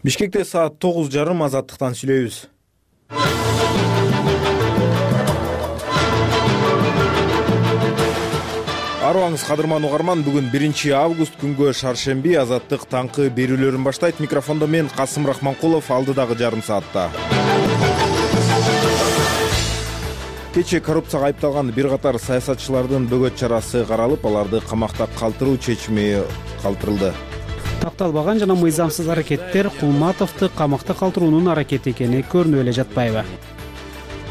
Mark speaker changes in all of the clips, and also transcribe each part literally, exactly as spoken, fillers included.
Speaker 1: Бишкекте саат тогуз жарым азаттыктан сүйлөйбүз. Арыбаңыз кадырман угарман, бүгүн биринчи август күнгө шаршемби азаттык таңкы берүүлөрүн баштайт. Микрофондо мен Касым Рахманкулов, алдыдагы жарым саатта. Кечээ коррупцияга айыпталган бир катар саясатчылардын бөгөт чарасы каралып, аларды камакта калтыруу чечими калтырылды.
Speaker 2: Такталбаган жана мыйзамсыз аракеттер Кулматовду камакта калтыруунун аракети экени көрүнүп эле жатпайбы?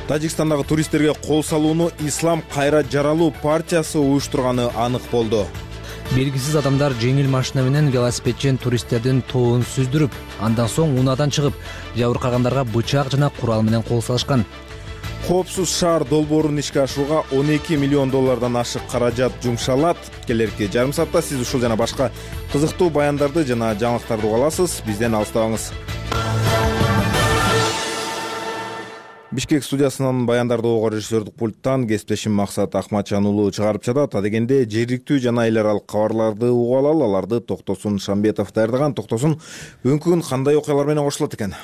Speaker 1: Тажикстандагы туристтерге кол салууну Ислам кайра жаралуу партиясы уюштурганы анык болду.
Speaker 3: Белгисиз адамдар жеңил машина менен велосипедчен туристтердин тоон сүздүрүп, андан соң унаадан чыгып, жабыркагандарга бычак жана курал менен кол салышкан.
Speaker 1: Коопсуз шаар долбоорун ишке ашырууга он эки миллион доллардан ашык каражат жумшалат. Келерки жарым саатта сиз ушул жана башка кызыктуу баяндарды жана жаңылыктарды уга аласыз. Бизден алыстабаңыз. Бишкек студиясынан баяндарды угуу режиссердик пульттан кесиптешим Максат Акматжан уулу чыгарып жатат. Адегенде жергиликтүү жана эл аралык кабарларды угуп алалы. Аларды Токтосун Шамбетов даярдаган. Токтосун, бүгүнкү күн кандай окуялар менен кошулат экен?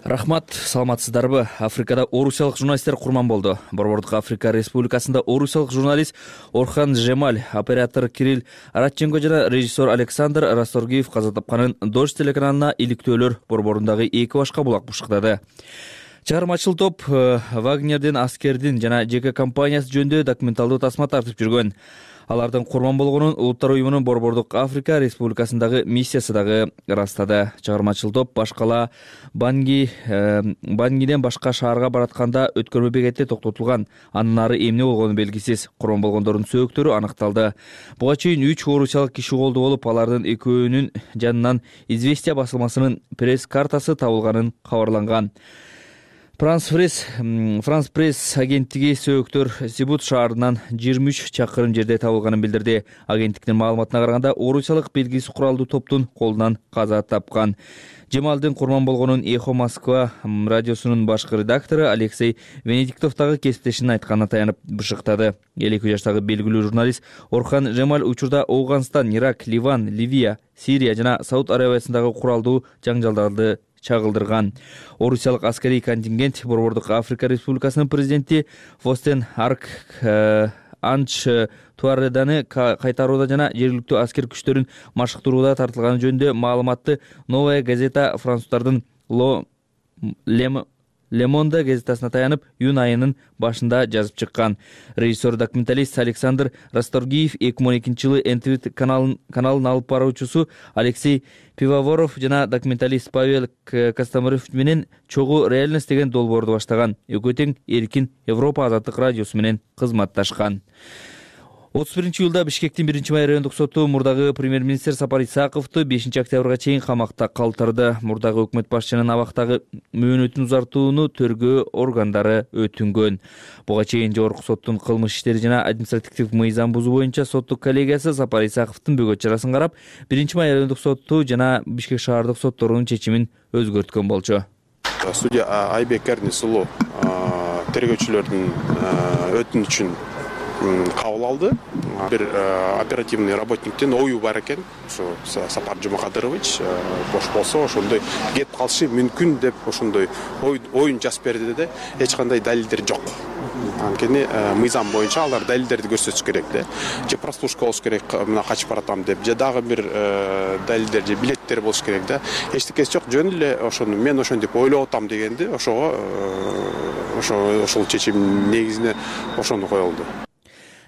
Speaker 4: Рахмат, саламатсыздарбы? Африкада орусиялык журналисттер курман болду. Борбордук Африка Республикасында орусиялык журналист Орхан Жемаль, оператор Кирилл Радченко жана режиссер Александр Расторгиев каза тапканын Дождь телеканалына иликтөөлөр борборундагы эки башка булак бушуктады. Чыгармачыл топ Вагнердин, аскердин жана жеке компаниясы жөнүндө документалдуу тасма тартып жүргөн. Алардын курман болгонун Улуттар уюмунун Борбордук Африка Республикасындагы миссиясы дагы ырастады. Чыгармачыл топ башкала Банги Бангиден башка шаарга баратканда өткөрмө бекетте токтотулган. Андан ары эмне болгону белгисиз. Курман болгондордун сөөктөрү аныкталды. Буга чейин үч орусиялык киши колдуу болуп, алардын экөөнүн жанынан Известия басылмасынын пресс-картасы табылганын кабарланган. Франс Пресс Франс Пресс агенттиги сөөктөр Сибут шаарынан жыйырма үч чакырым жерде табылганын билдирди. Агенттиктин маалыматына караганда, орусиялык белгисиз куралдуу топтун колунан каза тапкан. Жемалдын курман болгонун Эхо Москва радиосунун башкы редактору Алексей Венедиктов дагы кесиптешинин айтканына таянып бышыктады. элүү эки жаштагы белгилүү журналист Орхан Жемаль учурда Ауганстан, Ирак, Ливан, Ливия, Сирия жана Сауд Арабиясындагы куралдуу жаңжалдарды чагылдырган. Орусиялык аскерий контингент Борбордук Африка Республикасынын президенти Фостен Арк Анч Туареданы кайтарууда жана жергиликтүү аскер күчтөрүн машыктырууда тартылганы жөнүндө маалыматты Новая газета француздардын Ло Лем Лемонда газетасына таянып, июнь айынын башында жазып чыккан. Режиссер документалист Александр Расторгиев эки миң он экинчи жылы эн тэ вэ каналын каналын алып баруучусу Алексей Пивоворов жана документалист Павел Костомарев менен чогуу реальность деген долбоорду баштаган. Экөө тең эркин Европа азаттык радиосу менен кызматташкан. отуз биринчи июлда Бишкектин биринчи май райондук соту мурдагы премьер-министр Сапар Исаковду бешинчи октябрга чейин камакта калтырды. Мурдагы өкмөт башчынын абактагы мөөнөтүн узартууну тергөө органдары өтүнгөн. Буга чейин жогорку соттун кылмыш иштери жана административдик мыйзам бузуу боюнча соттук коллегиясы Сапар Исаковдун бөгөт чарасын карап, биринчи май райондук соту жана Бишкек шаардык сотторунун чечимин өзгөрткөн болчу.
Speaker 5: Судья Айбек Эрнис уулу тергөөчүлөрдүн өтүнүчүн кабыл алды. Бир оперативный работниктен ою бар экен. Ошо Сапар Жумакадырович бош болсо ошондой кетип калышы мүмкүн деп ошондой оюн жазып берди да, эч кандай далилдер жок. Анткени мыйзам боюнча алар далилдерди көрсөтүш керек да. Же прослушка болуш керек, мына качып баратам деп, же дагы бир далилдер же билеттер болуш керек да. Эчтекеси жок, жөн эле ошону мен ошентип ойлоп атам дегенди, ошого ошо ошол чечим негизинде ошону коюлду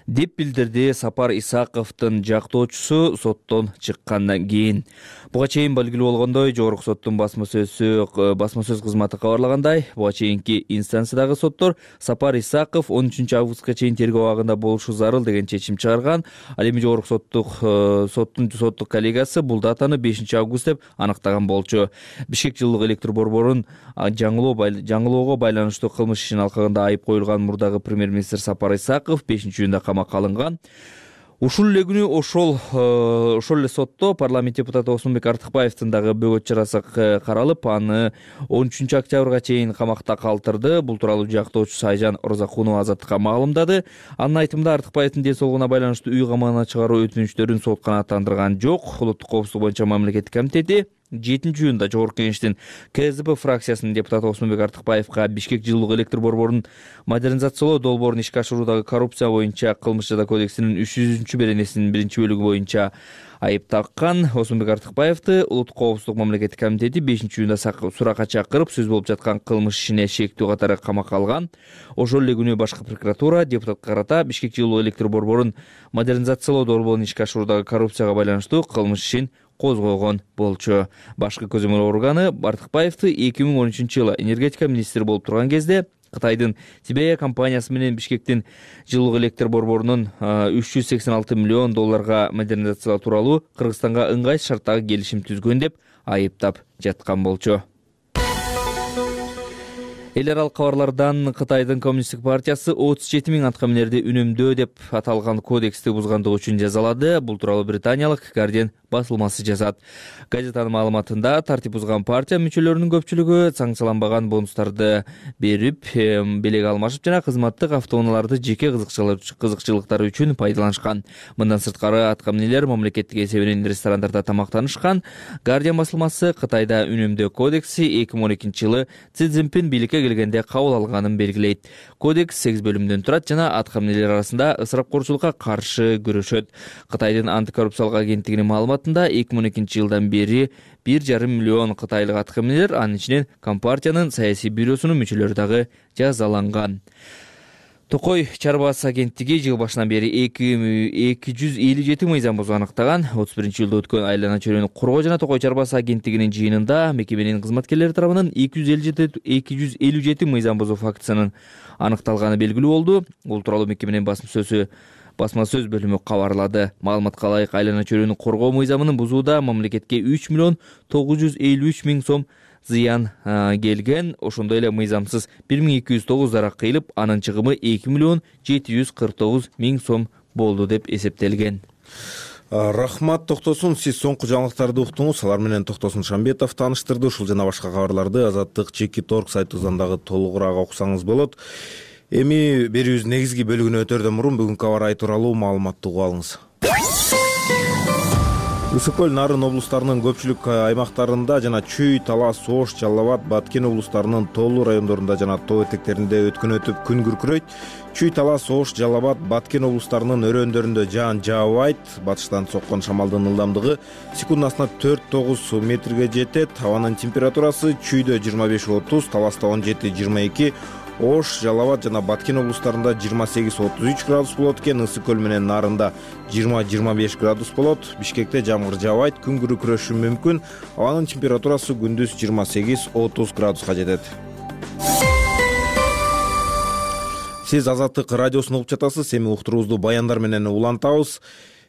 Speaker 4: деп билдирди Сапар Исаковдун жактоочусу соттон чыккандан кийин. Буга чейин белгилүү болгондой, жогорку соттун басма сөзү басма сөз кызматы кабарлагандай, буга чейинки инстанциядагы соттор Сапар Исаков он үчүнчү августка чейин тергөө абагында болушу зарыл деген чечим чыгарган. Ал эми жогорку соттук соттун соттук коллегиясы бул датаны бешинчи август деп аныктаган болчу. Бишкек жылдык электр борборун жаңылоо жаңылоого байланыштуу кылмыш ишин алкагында айып коюлган мурдагы премьер-министр Сапар Исаков бешинчи июнда камакка алынган. Ушул эле күнү ошол ошол эле сотто парламент депутаты Осмонбек Артыкбаевдин дагы бөгөт чарасы каралып, аны он үчүнчү октябрга чейин камакта калтырды. Бул тууралуу жактоочусу Айжан Орзакунова азаттыкка маалымдады. Анын айтымында Артыкбаевдин ден соолугуна байланыштуу үй камагына чыгаруу өтүнүчтөрүн сот канааттандырган жок. Улуттук коопсуздук боюнча мамлекеттик комитети жетинчи июнда жогорку кеңештин КСДП фракциясынын депутаты Осмонбек Артыкбаевга Бишкек жылуулук электр борборунун модернизациялоо долбоорун ишке ашыруудагы коррупция боюнча Кылмыш жаза кодексинин үч жүзүнчү беренесинин биринчи бөлүгү боюнча айып таккан Осмонбек Артыкбаевди Улуттук коопсуздук мамлекеттик комитети бешинчи июнда суракка чакырып, сөз болуп жаткан кылмыш ишине шектүү катары камакка алган. Ошол эле күнү башкы прокуратура депутатка карата Бишкек жылуу электр борборун модернизациялоо долбоорун ишке ашыруудагы коррупцияга байланыштуу кылмыш ишин козгогон болчу. Башкы көзөмөл органы Артыкбаевди эки миң он үчүнчү жылы энергетика министри болуп турган кезде Кытайдын Тибея компаниясы менен Бишкектин жылуулук электр борборунун үч жүз сексен алты миллион долларга модернизациялоо тууралуу Кыргызстанга ыңгай шарттагы келишим түзгөн деп айыптап жаткан болчу. Эл аралык кабарлардан Кытайдын Коммунисттик партиясы отуз жети миң аткаминерди үнөмдөө деп аталган кодексти бузгандыгы үчүн жазалады. Бул тууралуу британиялык Guardian басылмасы жазат. Газетанын маалыматында тартип бузган партия мүчөлөрүнүн көпчүлүгү санкцияланбаган бонустарды берип, белек алмашып жана кызматтык автоунааларды жеке кызыкчылыктары үчүн пайдаланышкан. Мындан сырткары аткаминерлер мамлекеттик эсебинен ресторандарда тамактанышкан. Guardian басылмасы Кытайда үнөмдөө кодекси эки миң он экинчи жылы Си Цзиньпин бийликке келгенде кабыл алганын белгилейт. Кодекс сегиз бөлүмдөн турат жана аткаминерлер арасында ысырапкорчулукка каршы күрөшөт. Кытайдын антикоррупциялык агенттигинин маалыматында эки миң он экинчи жылдан бери бир жарым миллион кытайлык аткаминерлер, анын ичинен Компартиянын саясий бюросунун мүчөлөрү дагы жазаланган. Токой чарбасы агенттиги жыл башынан бери эки жүз элүү жети мыйзам бузуу аныктаган. отуз биринчи жылда өткөн айлана чөйрөнү коргоо жана Токой чарбасы агенттигинин жыйынында мекеменин кызматкерлери тарабынан эки жүз элүү жети мыйзам бузуу фактысынын аныкталганы белгилүү болду. Бул тууралуу мекеменин басма сөзү басма сөз бөлүмү кабарлады. Маалыматка ылайык айлана чөйрөнү коргоо мыйзамынын бузууда мамлекетке үч миллион тогуз жүз элүү үч миң сом зыян келген. Ошондой эле мыйзамсыз бир миң эки жүз тогуз зарак кыйылып, анын чыгымы эки миллион жети жүз кырк тогуз миң сом болду деп эсептелген.
Speaker 1: Рахмат, токтосун. Сиз соңку жаңылыктарды уктуңуз. Алар менен Токтосун Шамбетов тааныштырды. Ушул жана башка кабарларды Азаттык Чекит точка орг сайтыбыздан дагы толугураак окусаңыз болот. Эми берүүбүздүн негизги бөлүгүнө өтөрдөн мурун бүгүнкү кабар ай тууралуу маалыматты угуп алыңыз. Ысык көл, Нарын облустарынын көпчүлүк аймактарында жана Чүй, Талас, Ош, Жалал Абад, Баткен облустарынын тоолуу райондорунда жана тоо этектеринде өткөн өтүп күн күркүрөйт. Чүй, Талас, Ош, Жалал Абад, Баткен облустарынын өрөөндөрүндө жаан жаабайт. Батыштан соккон шамалдын ылдамдыгы секундасына төрт тогуз метрге жетет. Абанын температурасы Чүйдө жыйырма беш отуз, Таласта он жети жыйырма эки, Ош, Жалал Абад жана Баткен облустарында жыйырма сегиз отуз үч градус болот экен. Ысык көл менен Нарында жыйырма жыйырма беш градус болот. Бишкекте жамгыр жаабайт, күн күркүрөшү мүмкүн. Абанын температурасы күндүз жыйырма сегиз отуз градуска жетет. Сиз Азаттык радиосун угуп жатасыз. Эми уктуруубузду баяндар менен улантабыз.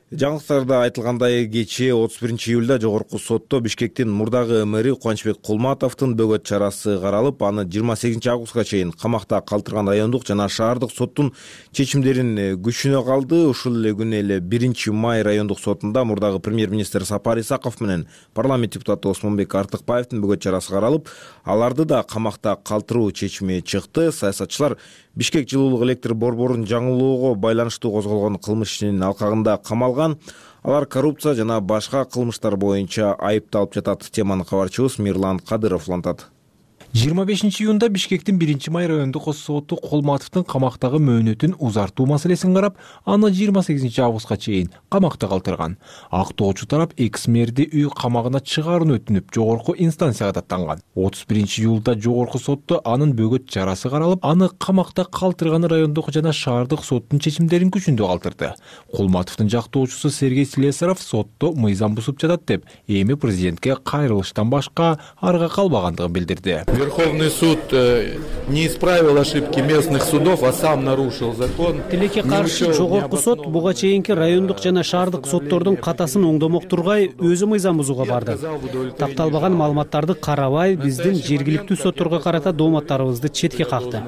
Speaker 1: Жаңылыктарда айтылгандай, кечээ отуз биринчи июлда жогорку сотто Бишкектин мурдагы мэри Кубанычбек Кулматовдун бөгөт чарасы каралып, аны жыйырма сегизинчи августка чейин камакта калтырган райондук жана шаардык соттун чечимдерин күчүнө калды. Ушул эле күнү эле биринчи май райондук сотунда мурдагы премьер-министр Сапар Исаков менен парламент депутаты Осмонбек Артыкбаевдин бөгөт чарасы каралып, аларды да камакта калтыруу чечими чыкты. Саясатчылар Бишкек жылуулук электр борборун жаңылоого байланыштуу козголгон кылмыш ишинин алкагында камалган. Алар коррупция жана башка кылмыштар боюнча айыпталып жатат. Теманы кабарчыбыз Мирлан Кадыров улантат.
Speaker 6: жыйырма бешинчи июнда Бишкектин биринчи май райондук соту Кулматовдун камактагы мөөнөтүн узартуу маселесин карап, аны жыйырма сегизинчи августка чейин камакта калтырган. Актоочу тарап экс мэрди үй камагына чыгаарууну өтүнүп, жогорку инстанцияга даттанган. отуз биринчи июлда жогорку сотто анын бөгөт чарасы каралып, аны камакта калтырганы райондук жана шаардык соттун чечимдерин күчүндө калтырды. Кулматовдун жактоочусу Сергей Слесаров сотто мыйзам бузуп жатат деп, эми президентке кайрылыштан башка арга калбагандыгын билдирди.
Speaker 7: Верховный суд не исправил ошибки местных судов, а сам нарушил закон.
Speaker 2: Тилекке каршы жогорку сот буга чейинки райондук жана шаардык соттордун катасын оңдомок тургай өзү мыйзам бузууга барды. Тапталбаган маалыматтарды карабай, биздин жергиликтүү сотторго карата дооматтарыбызды четке какты.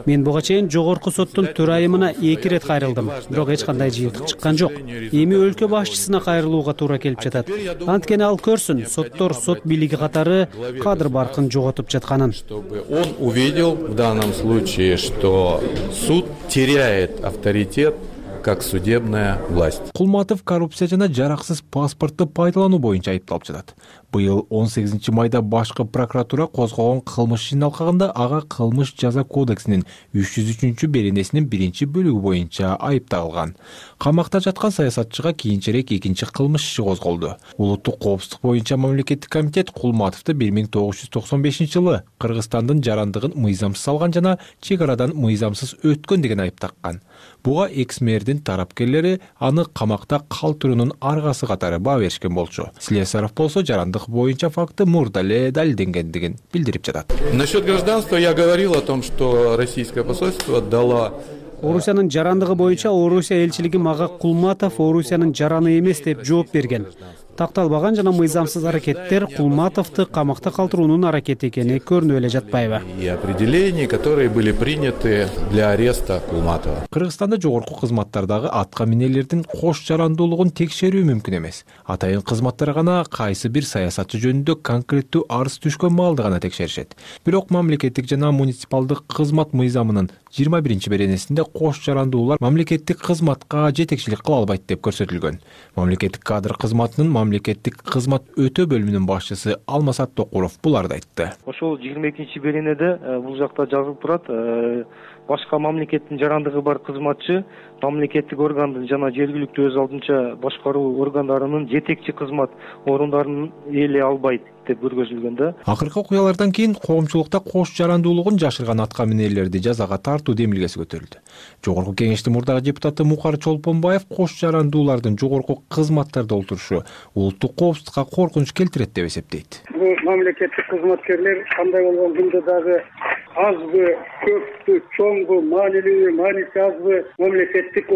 Speaker 2: Мен буга чейин жогорку соттун төрайымына эки ирет кайрылдым, бирок эч кандай жыйынтык чыккан жок. Эми өлкө башчысына кайрылууга туура келип жатат. Анткени ал көрсүн, соттор сот бийлиги катары кадр баркын жоготуп жатканын.
Speaker 7: Чтобы он увидел в данном случае, что суд теряет авторитет как судебная власть.
Speaker 6: Кулматов коррупция жана жараксыз паспортты пайдалануу боюнча айыпталып жатат. Быйыл он сегизинчи майда башкы прокуратура козгогон кылмыш ишин алкаганда ага кылмыш жаза кодексинин үч жүз үчүнчү беренесинин биринчи бөлүгү боюнча айып тагылган. Камакта жаткан саясатчыга кийинчерээк экинчи кылмыш иши козголду. Улуттук коопсуздук боюнча мамлекеттик комитет Кулматовду бир миң тогуз жүз токсон бешинчи жылы Кыргызстандын жарандыгын мыйзамсыз алган жана чек арадан мыйзамсыз өткөн деген айып таккан. Буга экс-мэрдин тарапкерлери аны камакта калтыруунун аргасы катары баа беришкен болчу. Слесарев болсо жарандык боюнча факты мурда эле далилденгендигин билдирип жатат.
Speaker 7: Насчет гражданства я говорил о том, что российское посольство дало.
Speaker 2: Орусиянын жарандыгы боюнча Орусия элчилиги мага Кулматов Орусиянын жараны эмес деп жооп берген. Такталбаган жана мыйзамсыз аракеттер Кулматовду камакта калтыруунун аракети экени көрүнүп эле жатпайбы?
Speaker 7: И определения, которые были приняты для ареста Кулматова.
Speaker 6: Кыргызстанда жогорку кызматтардагы атка минелердин кош жарандуулугун текшерүү мүмкүн эмес. Атайын кызматтар гана кайсы бир саясатчы жөнүндө конкреттүү арыз түшкөн маалда гана текшеришет. Бирок мамлекеттик жана муниципалдык кызмат мыйзамынын жыйырма биринчи беренесинде кош жарандуулар мамлекеттик кызматка жетекчилик кыла албайт деп көрсөтүлгөн. Мамлекеттик кадр кызматынын мамлекеттик кызмат өтө бөлүмүнүн башчысы Алмасат Токуров буларды айтты.
Speaker 8: Ошол жыйырма экинчи беренеде бул жакта жазылып турат. Башка мамлекеттин жарандыгы бар кызматчы мамлекеттик органдын жана жергиликтүү өз алдынча башкаруу органдарынын жетекчи кызмат орундарын ээлей албайт деп көргөзүлгөн да.
Speaker 6: Акыркы окуялардан кийин коомчулукта кош жарандуулугун жашырган атка минелерди жазага тартуу демилгеси көтөрүлдү. Жогорку кеңештин мурдагы депутаты Мукар Чолпонбаев кош жарандуулардын жогорку кызматтарда олтурушу улуттук коопсуздукка коркунуч келтирет деп эсептейт.
Speaker 9: Бул мамлекеттик кызматкерлер кандай болгон күндө дагы азбы, көппү, чоңбу, маанилүүбү, маанisi азбы мамлекеттик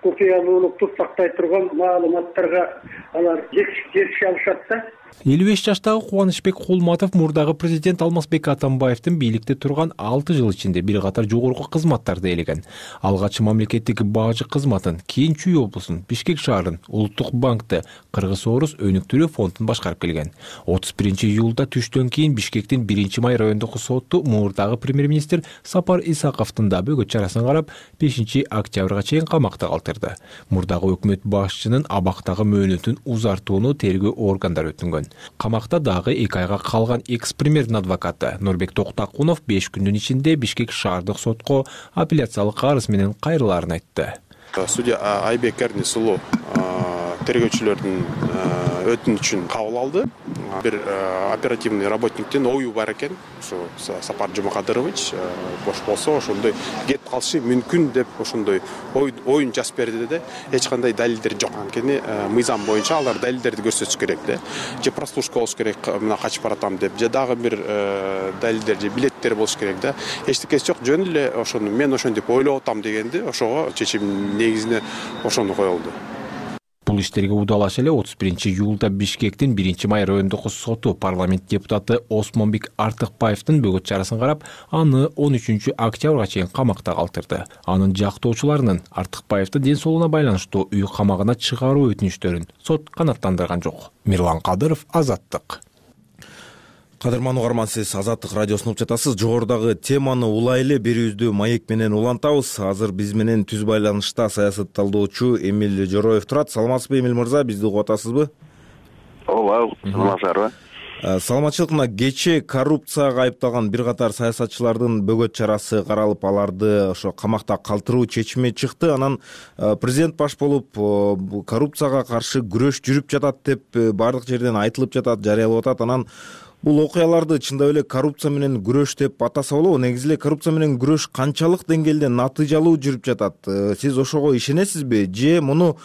Speaker 9: окуялуулукту сактай турган маалыматтарга алар жетише алышат да.
Speaker 6: элүү беш жаштагы Кубанычбек Кулматов мурдагы президент Алмазбек Атамбаевдин бийликте турган алты жыл ичинде бир катар жогорку кызматтарды ээлеген. Алгач мамлекеттик бажы кызматын, кийин Чүй облусун, Бишкек шаарын, Улуттук банкты, Кыргыз-Орус өнүктүрүү фондун башкарып келген. отуз биринчи июлда түштөн кийин Бишкектин биринчи май райондук соту мурдагы премьер-министр Сапар Исаковдун да бөгөт чарасын карап, бешинчи октябрга чейин камакта калтырды. Мурдагы өкмөт башчынын абактагы мөөнөтүн узартууну тергөө органдары өтүнгөн. Камакта дагы эки айга калган экс-премьердин адвокаты Нурбек Токтакунов беш күндүн ичинде Бишкек шаардык сотко апелляциялык арыз менен кайрылаарын айтты.
Speaker 5: Судья Айбек Эрнис уулу тергөөчүлөрдүн өтүнүчүн кабыл алды. Бир оперативный работниктин ою бар экен. Ушу Сапар Жумакадырович бош болсо ошондой кетип калышы мүмкүн деп ошондой оюн жазып берди да. Эч кандай далилдер жок. Анткени мыйзам боюнча алар далилдерди көрсөтүш керек да. Же прослушка болуш керек, мына качып баратам деп, же дагы бир далилдер же билеттер болуш керек да. Эчтекеси жок, жөн эле ошону мен ошентип ойлоп атам дегенди, ошого чечим негизине ошону коюлду.
Speaker 6: Бул иштерге удалаш эле отуз биринчи июлда Бишкектин биринчи май райондук соту парламент депутаты Осмонбек Артыкбаевдин бөгөт чарасын карап, аны он үчүнчү октябрга чейин камакта калтырды. Анын жактоочуларынын Артыкбаевдин ден соолугуна байланыштуу үй камагына чыгаруу өтүнүчтөрүн сот канааттандырган жок. Мирлан Кадыров, Азаттык.
Speaker 1: Кадырман угарман, сиз Азаттык радиосун угуп жатасыз. Жогорудагы теманы улай эле берүүбүздү маек менен улантабыз. Азыр биз менен түз байланышта саясат талдоочу Эмил Жороев турат. Саламатсызбы, Эмил мырза, бизди угуп атасызбы?
Speaker 10: Ооба, саламатсыздарбы?
Speaker 1: Саламатчылык. Мына кечээ коррупцияга айыпталган бир катар саясатчылардын бөгөт чарасы каралып, аларды ошо камакта калтыруу чечими чыкты. Анан президент баш болуп коррупцияга каршы күрөш жүрүп жатат деп баардык жерден айтылып жатат, жарыялап атат. Анан бул окуяларды чындап эле коррупция менен күрөш деп атаса болобу? Негизи эле коррупция менен күрөш канчалык деңгээлде натыйжалуу жүрүп жатат? Сиз ошого ишенесизби? Же муну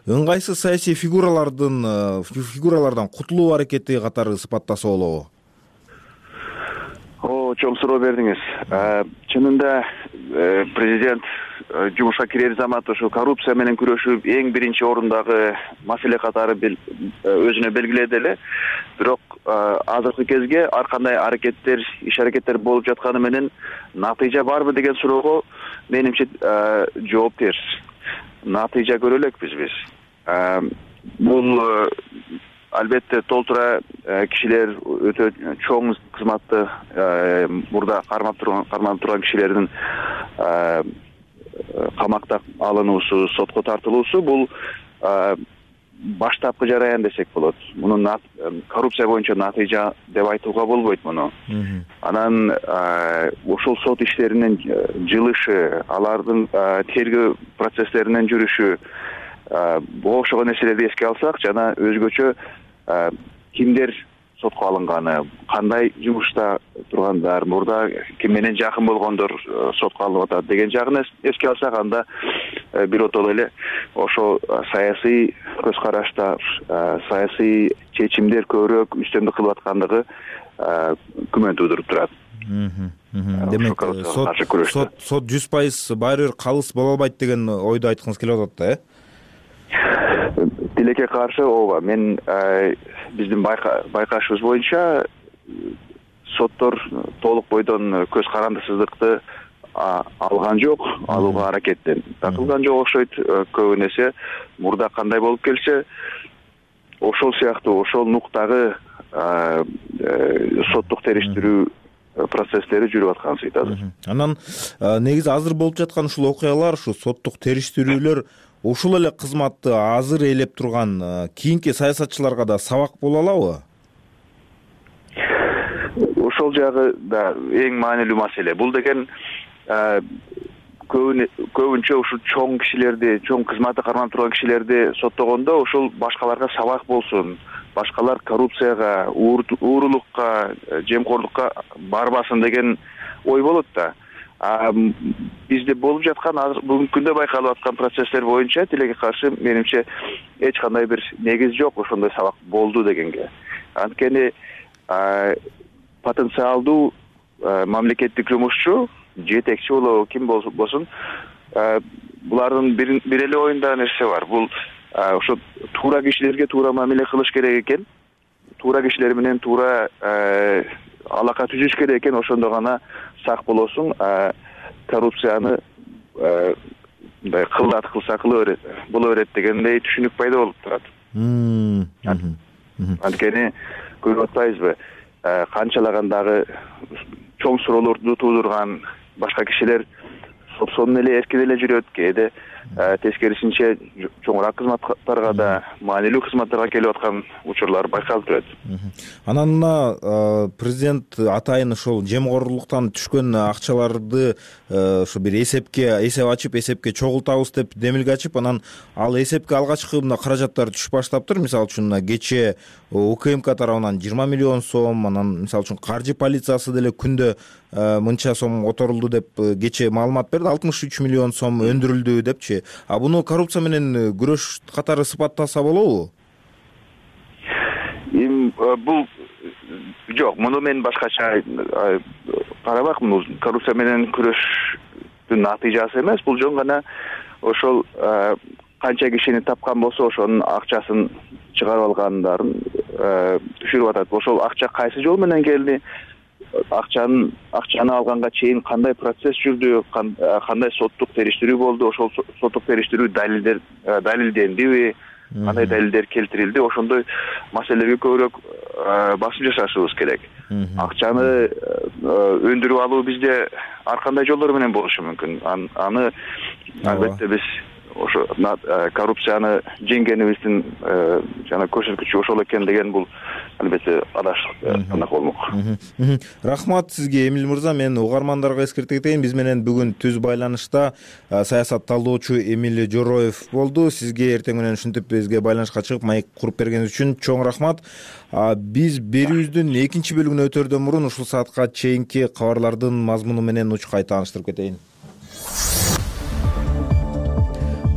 Speaker 1: ыңгайсыз саясий фигуралардын фигуралардан кутулуу аракети катары сыпаттаса болобу?
Speaker 10: О, чоң суроо бердиңиз. Чынында президент жумушка кирер замат ошо коррупция менен күрөшүү эң биринчи орундагы маселе катары өзүнө белгиледи эле. Бирок азыркы кезге ар кандай аракеттер, иш аракеттер болуп жатканы менен натыйжа барбы деген суроого менимче жооп терс. Натыйжа көрө элекпиз биз. Бул албетте толтура кишилер, өтө чоң кызматты мурда кармап турган карманып турган кишилердин камакта алынуусу, сотко тартылуусу бул баштапкы жараян десек болот. Мунун коррупция боюнча натыйжа деп айтууга болбойт муну. Анан ошол сот иштеринин жылышы, алардын тергөө процесстеринин жүрүшү, буга окшогон нерселерди эске алсак, жана өзгөчө кимдер сотко алынганы, кандай жумушта тургандар, мурда ким менен жакын болгондор сотко алынып атат деген жагын эске алсак, анда биротоло эле ошо саясий көз карашта саясий чечимдер көбүрөөк үстөмдүк кылып аткандыгы күмөн туудуруп турат.
Speaker 1: Демек сот сот жүз пайыз баары бир калыс боло албайт деген ойду айткыңыз келип атат да,
Speaker 10: э? Тилекке каршы ооба, мен биздин байкашыбыз боюнча соттор толук бойдон көз карандысыздыкты алган жок, алууга аракеттен кылган жок окшойт. Көбүнесе мурда кандай болуп келсе, ошол сыяктуу ошол нуктагы соттук териштирүү процесстери жүрүп аткан сыйтады.
Speaker 1: Анан негизи азыр болуп жаткан ушул окуялар, ушу соттук териштирүүлөр ушул эле кызматты азыр ээлеп турган кийинки саясатчыларга да сабак боло алабы?
Speaker 10: Ошол жагы да эң маанилүү маселе. Бул деген көбүнчө ушул чоң кишилерди, чоң кызматты карманып турган кишилерди соттогондо ошол башкаларга сабак болсун, башкалар коррупцияга, уурулукка, жемкорлукка барбасын деген ой болот да. Бизде болуп жаткан азыр бүгүнкү күндө байкалып аткан процесстер боюнча тилекке каршы менимче эч кандай бир негиз жок ошондой сабак болду дегенге. Анткени потенциалдуу мамлекеттик жумушчу, жетекчи болобу, ким болсун, булардын бир эле оюнда нерсе бар. Бул ошо туура кишилерге туура мамиле кылыш керек экен, туура кишилер менен туура алака түзүш керек экен, ошондо гана сак болосуң. Коррупцияны мындай кылдат кылса кыла берет, боло берет дегендей түшүнүк пайда болуп турат. Анткени көрүп атпайбызбы, канчалагандагы чоң суроолорду туудурган башка кишилер сотсонун эле эркин эле жүрөт, кээде тескерисинче чоңураак кызматтарга да, маанилүү кызматтарга келип аткан учурлар байкалып турат.
Speaker 1: Анан мына президент атайын ошол жемкорлуктан түшкөн акчаларды ошо бир эсепке эсеп ачып, эсепке чогултабыз деп демилге ачып, анан ал эсепке алгачкы мына каражаттар түшүп баштаптыр. Мисалы үчүн кечээ УКМК тарабынан жыйырма миллион сом, анан мисалы үчүн каржы полициясы деле күндө мынча сом которулду деп кечээ маалымат берди, алтымыш үч миллион сом өндүрүлдү депчи. А буну коррупция менен күрөш катары сыпаттаса болобу?
Speaker 10: Бул жок, муну мен башкача карабакмын. Бул коррупция менен күрөштүн натыйжасы эмес, бул жөн гана ошол канча кишини тапкан болсо ошонун акчасын чыгарып алгандарын түшүрүп атат. Ошол акча кайсы жол менен келди? Акчаны акчаны алганга чейин кандай процесс жүрдү, кандай соттук териштирүү болду, ошол соттук териштирүү далилдер далилдендиби, кандай далилдер келтирилди, ошондой маселелерге көбүрөөк басым жасашыбыз керек. Акчаны өндүрүп алуу бизде ар кандай жолдор менен болушу мүмкүн. Аны албетте биз ошо коррупцияны жеңгенибиздин жана көрсөткүчү ошол экен деген бул албетте адашык андак болмок.
Speaker 1: Рахмат сизге, Эмил мырза. Мен угармандарга эскерте кетейин, биз менен бүгүн түз байланышта саясат талдоочу Эмил Жороев болду. Сизге эртең менен ушинтип бизге байланышка чыгып майк куруп бергениңиз үчүн чоң рахмат. Биз берүүбүздүн экинчи бөлүгүнө өтөрдөн мурун ушул саатка чейинки кабарлардын мазмуну менен учкай тааныштырып кетейин.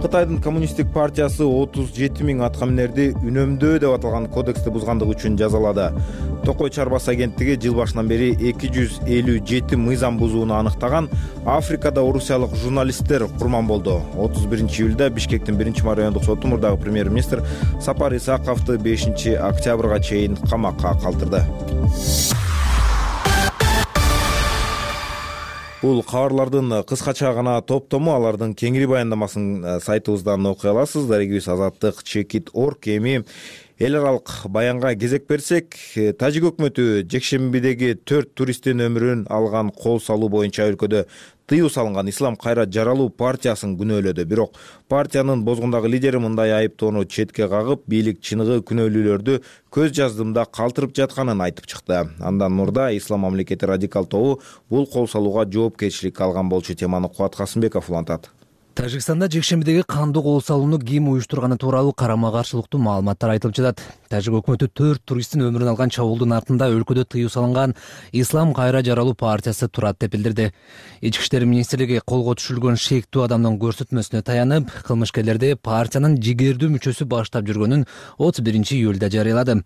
Speaker 1: Кытайдын коммунисттик партиясы отуз жети миң аткаминерди үнөмдөө деп аталган кодексти бузгандыгы үчүн жазалады. Токой чарбасы агенттиги жыл башынан бери эки жүз элүү жети мыйзам бузууну аныктаган Африкада орусиялык журналисттер курман болду. отуз биринчи июлда Бишкектин биринчи райондук соту мурдагы премьер-министр Сапар Исаковду бешинчи октябрга чейин камакка калтырды. Бул кабарлардын кыскача гана топтому, алардын кеңири баяндамасын сайтыбыздан окуй аласыз. Дарегибиз Азаттык чекит точка орг. Эми эл аралык баянга кезек берсек, Тажик өкмөтү жекшембидеги төрт туристтин өмүрүн алган кол салуу боюнча өлкөдө тыюу салынган Ислам кайра жаралуу партиясын күнөөлөдү. Бирок партиянын бозгундагы лидери мындай айыптоону четке кагып, бийлик чыныгы күнөөлүүлөрдү көз жаздымда калтырып жатканын айтып чыкты. Андан мурда Ислам мамлекети радикал тобу бул кол салууга жоопкерчилик алган болчу. Теманы Кубат Касымбеков улантат.
Speaker 3: Тажикстанда жекшембидеги кандуу кол салууну ким уюштурганы тууралуу карама-каршылыктуу маалыматтар айтылып жатат. Тажик өкмөтү төрт туристтин өмүрүн алган чабуулдун артында өлкөдө тыюу салынган Ислам кайра жаралуу партиясы турат деп билдирди. Ички иштер министрлиги колго түшүрүлгөн шектүү адамдын көрсөтмөсүнө таянып, кылмышкерлерди партиянын жигердүү мүчөсү баштап жүргөнүн отуз биринчи июлда жарыялады.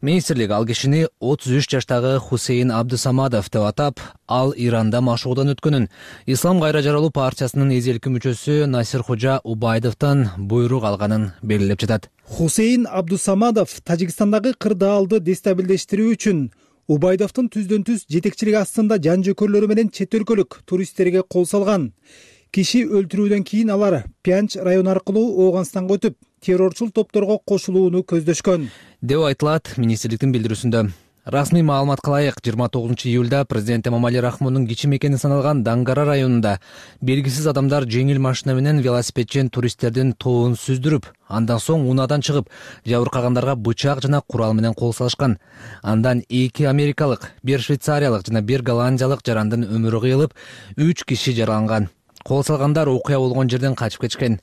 Speaker 3: Министрлик ал кишини отуз үч жаштагы Хусейн Абдусамадов деп атап, ал Иранда машыгуудан өткөнүн, Ислам кайра жаралуу партиясынын эзелки мүчөсү Насир Хожа Убайдовдон буйрук алганын белгилеп жатат.
Speaker 11: Хусейн Абдусамадов Тажикстандагы кырдаалды дестабилдештирүү үчүн Убайдовдун түздөн түз жетекчилиги астында жан жөкөрлөрү менен чет өлкөлүк туристтерге кол салган. Киши өлтүрүүдөн кийин алар Пянч району аркылуу Ооганстанга өтүп, террорчул топторго кошулууну көздөшкөн
Speaker 3: деп айтылат министрликтин билдирүүсүндө. Расмий маалыматка ылайык, жыйырма тогузунчу июлда президент Эмомали Рахмондун кичи мекени саналган Дангара районунда белгисиз адамдар жеңил машина менен велосипедчен туристтердин тобун сүздүрүп, андан соң унаадан чыгып, жабыркагандарга бычак жана курал менен кол салышкан. Андан эки америкалык, бир швейцариялык жана бир голландиялык жарандын өмүрү кыйылып, үч киши жараланган. Кол салгандар окуя болгон жерден качып кетишкен.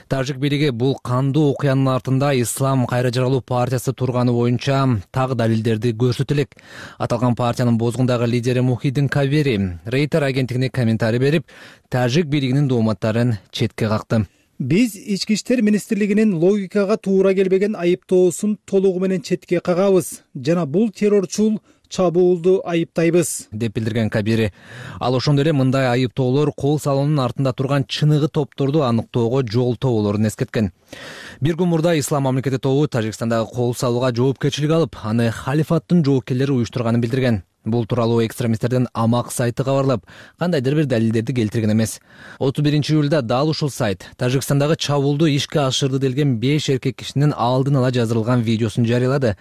Speaker 3: Тажик бийлиги бул кандуу окуянын артында Ислам кайра жаралуу партиясы турганы боюнча так далилдерди көрсөтө элек. Аталган партиянын бозгундагы лидери Мухиддин Кабери Рейтер агенттигине комментарий берип, тажик бийлигинин дооматтарын четке какты.
Speaker 11: Биз ички иштер министрлигинин логикага туура келбеген айыптоосун толугу менен четке кагабыз жана бул террорчул чабуулду айыптайбыз
Speaker 3: деп билдирген Кабири. Ал ошондой эле мындай айыптоолор кол салуунун артында турган чыныгы топторду аныктоого жолтоо болоорун эскерткен. Бир күн мурда Ислам мамлекети тобу Тажикстандагы кол салууга жоопкерчилик алып, аны халифаттын жоокерлери уюштурганын билдирген. Бул тууралуу экстремисттердин Амак сайты кабарлап, кандайдыр бир далилдерди келтирген эмес. отуз биринчи июлда дал ушул сайт Тажикстандагы чабуулду ишке ашырды делген беш эркек кишинин алдын ала жаздырылган видеосун жарыялады.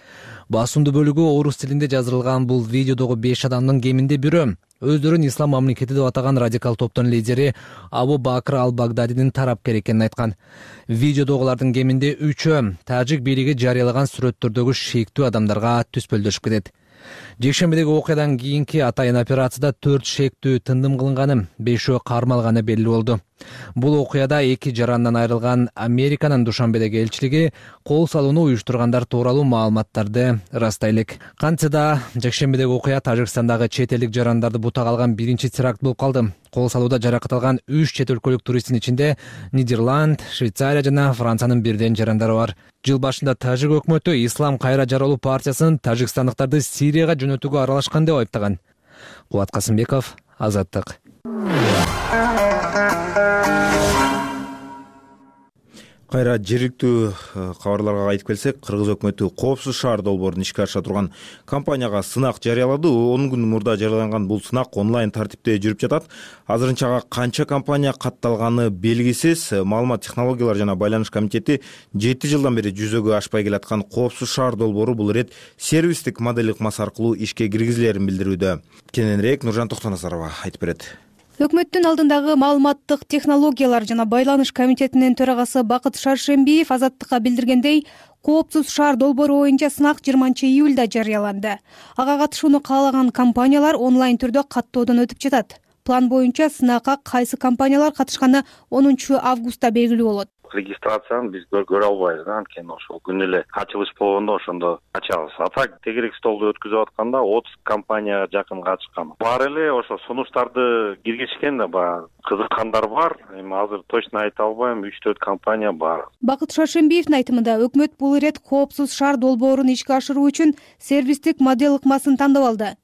Speaker 3: Басымдуу бөлүгү орус тилинде жаздырылган бул видеодогу беш адамдын кеминде бирөө өздөрүн Ислам мамлекети деп атаган радикал топтун лидери Абу Бакр ал-Багдадинин тарапкери экенин айткан. Видеодогулардын кеминде үчөө тажик бийлиги жарыялаган сүрөттөрдөгү шектүү адамдарга түспөлдөшүп кетет. Жекшембидеги окуядан кийинки атайын операцияда төрт шектүү тындым кылынганы, бешөө кармалганы белгилүү болду. Бул окуяда эки жарандан айрылган Американын Душанбедеги элчилиги кол салууну уюштургандар тууралуу маалыматтарды ырастай элек. Кантсе да жекшембидеги окуя Тажикстандагы чет элдик жарандарды бутак алган биринчи теракт болуп калды. Кол салууда жаракат алган үч чет өлкөлүк туристтин ичинде Нидерланд, Швейцария жана Франциянын бирден жарандары бар. Жыл башында тажик өкмөтү Ислам кайра жаралуу партиясын тажикстандыктарды Сирияга жөнөтүүгө аралашкан деп айыптаган. Кубат Касымбеков, Азаттык.
Speaker 1: Кайра жергиликтүү кабарларга кайтып келсек, Кыргыз өкмөтү Коопсуз шаар долбоорун ишке ашыра турган компанияга сынак жарыялады. он күн мурда жарыяланган бул сынак онлайн тартипте жүрүп жатат. Азырынча ага канча компания катталганы белгисиз. Маалымат технологиялар жана байланыш комитети жети жылдан бери жүзөгө ашпай келаткан Коопсуз шаар долбоору бул ирет сервистик модель ыкмасы аркылуу ишке киргизилерин билдирүүдө. Кененирээк Нуржан Токтоназарова айтып берет.
Speaker 12: Өкмөттүн алдындагы маалыматтык технологиялар жана байланыш комитетинин төрагасы Бакыт Шаршембиев Азаттыкка билдиргендей, Коопсуз шаар долбоору боюнча сынак жыйырманчы июлда жарыяланды. Ага катышууну каалаган компаниялар онлайн түрдө каттоодон өтүп жатат. План боюнча сынакка кайсы компаниялар катышканы онунчу августта белгилүү болот.
Speaker 13: Регистрацияны биз көрө албайбыз, анткени ошол күнү эле ачылыш болгондо ошондо ачабыз. А так тегерек столду өткүзүп атканда отуз компанияга жакын катышкан. Бар эле ошо сунуштарды киргизишкен да, баягы кызыккандар бар. Эми азыр точно айта албайм, үч төрт компания бар.
Speaker 12: Бакыт Шаршембиевдин айтымында, өкмөт бул ирет Коопсуз шаар долбоорун ишке ашыруу үчүн сервистик модель ыкмасын тандап алды.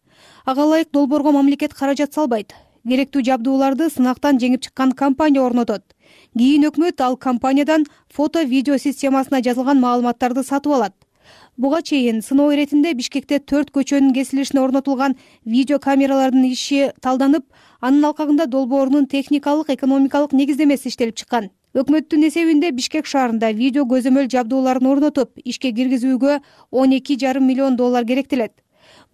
Speaker 12: Ага ылайык долбоорго мамлекет каражат салбайт. Керектүү жабдууларды сынактан жеңип чыккан компания орнотот. Кийин өкмөт ал компаниядан фото-видео системасына жазылган маалыматтарды сатып алат. Буга чейин сыноо иретинде Бишкекте төрт көчөнүн кесилишине орнотулган видео камералардын иши талданып, анын алкагында долбоорунун техникалык, экономикалык негиздемеси иштелип чыккан. Өкмөттүн эсебинде Бишкек шаарында видео көзөмөл жабдууларын орнотуп, ишке киргизүүгө он эки жарым миллион доллар керектелет.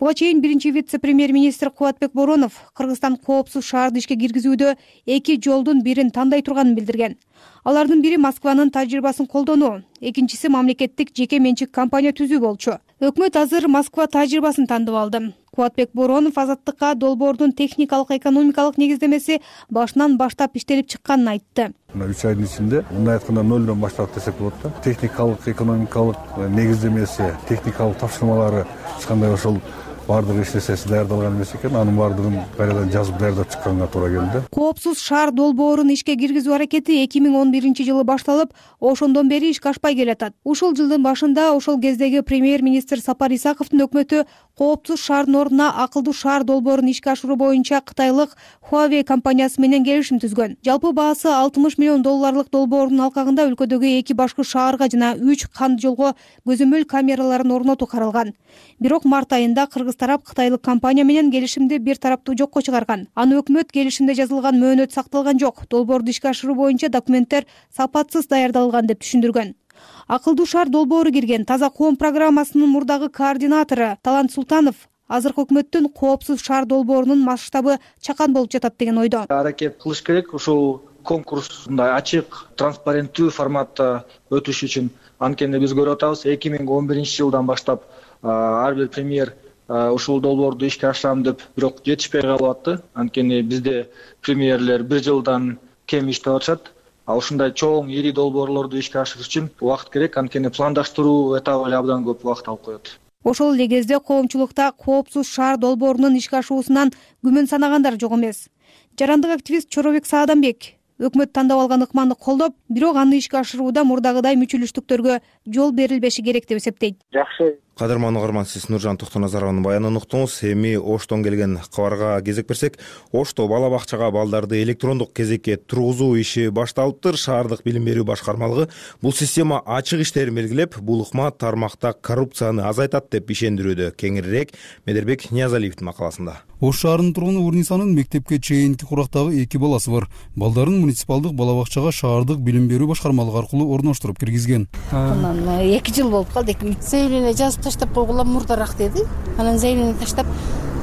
Speaker 12: Буга чейин биринчи вице-премьер-министр Кубатбек Боронов Кыргызстан коопсуз шаарды ишке киргизүүдө эки жолдун бирин тандай турганын билдирген. Алардын бири Москванын тажрыйбасын колдонуу, экинчиси мамлекеттик жеке менчик компания түзүү болчу. Өкмөт азыр Москва тажрыйбасын тандып алды. Кубатбек Боронов Азаттыкка долбоордун техникалык экономикалык негиздемеси башынан баштап иштелип чыкканын айтты.
Speaker 14: Мына үч айдын ичинде мындай айтканда нөлдөн баштап десек болот да. Техникалык экономикалык негиздемеси, техникалык тапшырмалары эч кандай ошол баардыгы иштесеси даярдалган эмес экен. Анын баардыгын кайрадан жазып даярдап чыкканга туура келди.
Speaker 12: Коопсуз шаар долбоорун ишке киргизүү аракети эки миң он биринчи жылы башталып, ошондон бери ишке ашпай келатат. Ушул жылдын башында ошол кездеги премьер-министр Сапар Исаковдун өкмөтү коопсуз шаардын ордуна акылдуу шаар долбоорун ишке ашыруу боюнча кытайлык Huawei компаниясы менен келишим түзгөн. Жалпы баасы алтымыш миллион долларлык долбоордун алкагында өлкөдөгү эки башкы шаарга жана үч канд жолго көзөмөл камераларын орнотуу каралган. Бирок март айында Кыргыз тарап кытайлык компания менен келишимди бир тараптуу жокко чыгарган. Аны өкмөт келишимде жазылган мөөнөт сакталган жок. Долбоорду ишке ашыруу боюнча документтер сапатсыз даярдалган деп түшүндүргөн. Акылдуу шаар долбоору кирген Таза коом программасынын мурдагы координатору Талант Султанов азыркы өкмөттүн коопсуз шаар долбоорунун масштабы чакан болуп жатат деген ойдо.
Speaker 15: Аракет кылыш керек ушул конкурс мындай ачык, транспаренттүү форматта өтүш үчүн. Анткени биз көрүп атабыз, эки миң он биринчи жылдан баштап ар бир премьер ушул долбоорду ишке ашырам деп, бирок жетишпей калып атты. Анткени бизде премьерлер бир жылдан кем иштеп атышат. А ушундай чоң, ири долбоорлорду ишке ашырыш үчүн убакыт керек. Анткени пландаштыруу этабы эле абдан көп убакыт алып коет.
Speaker 12: Ошол эле кезде коомчулукта коопсуз шаар долбоорунун ишке ашуусунан күмөн санагандар жок эмес. Жарандык активист Чоробек Саадамбек өкмөт тандап алган ыкманды колдоп, бирок аны ишке ашырууда мурдагыдай мүчүлүштүктөргө жол берилбеши керек деп эсептейт.
Speaker 9: Жакшы.
Speaker 1: Кадырман угарман, сиз Нуржан Токтоназаровдун баянын уктуңуз. Эми Оштон келген кабарга кезек берсек, Ошто бала бакчага балдарды электрондук кезекке тургузуу иши башталыптыр. Шаардык билим берүү башкармалыгы бул система ачык иштерин белгилеп, бул ыкма тармакта коррупцияны азайтат деп ишендирүүдө. Кеңирирээк Медербек Ниязалиевдин макаласында.
Speaker 16: Ош шаарынын тургуну Урнисанын мектепке чейинки курактагы эки баласы бар. Балдарын муниципалдык бала бакчага шаардык билим берүү башкармалыгы аркылуу орноштуруп киргизген.
Speaker 17: Анан эки жыл болуп калды. Заявление жазып таштап койгула мурдараак деди. Анан заявление таштап,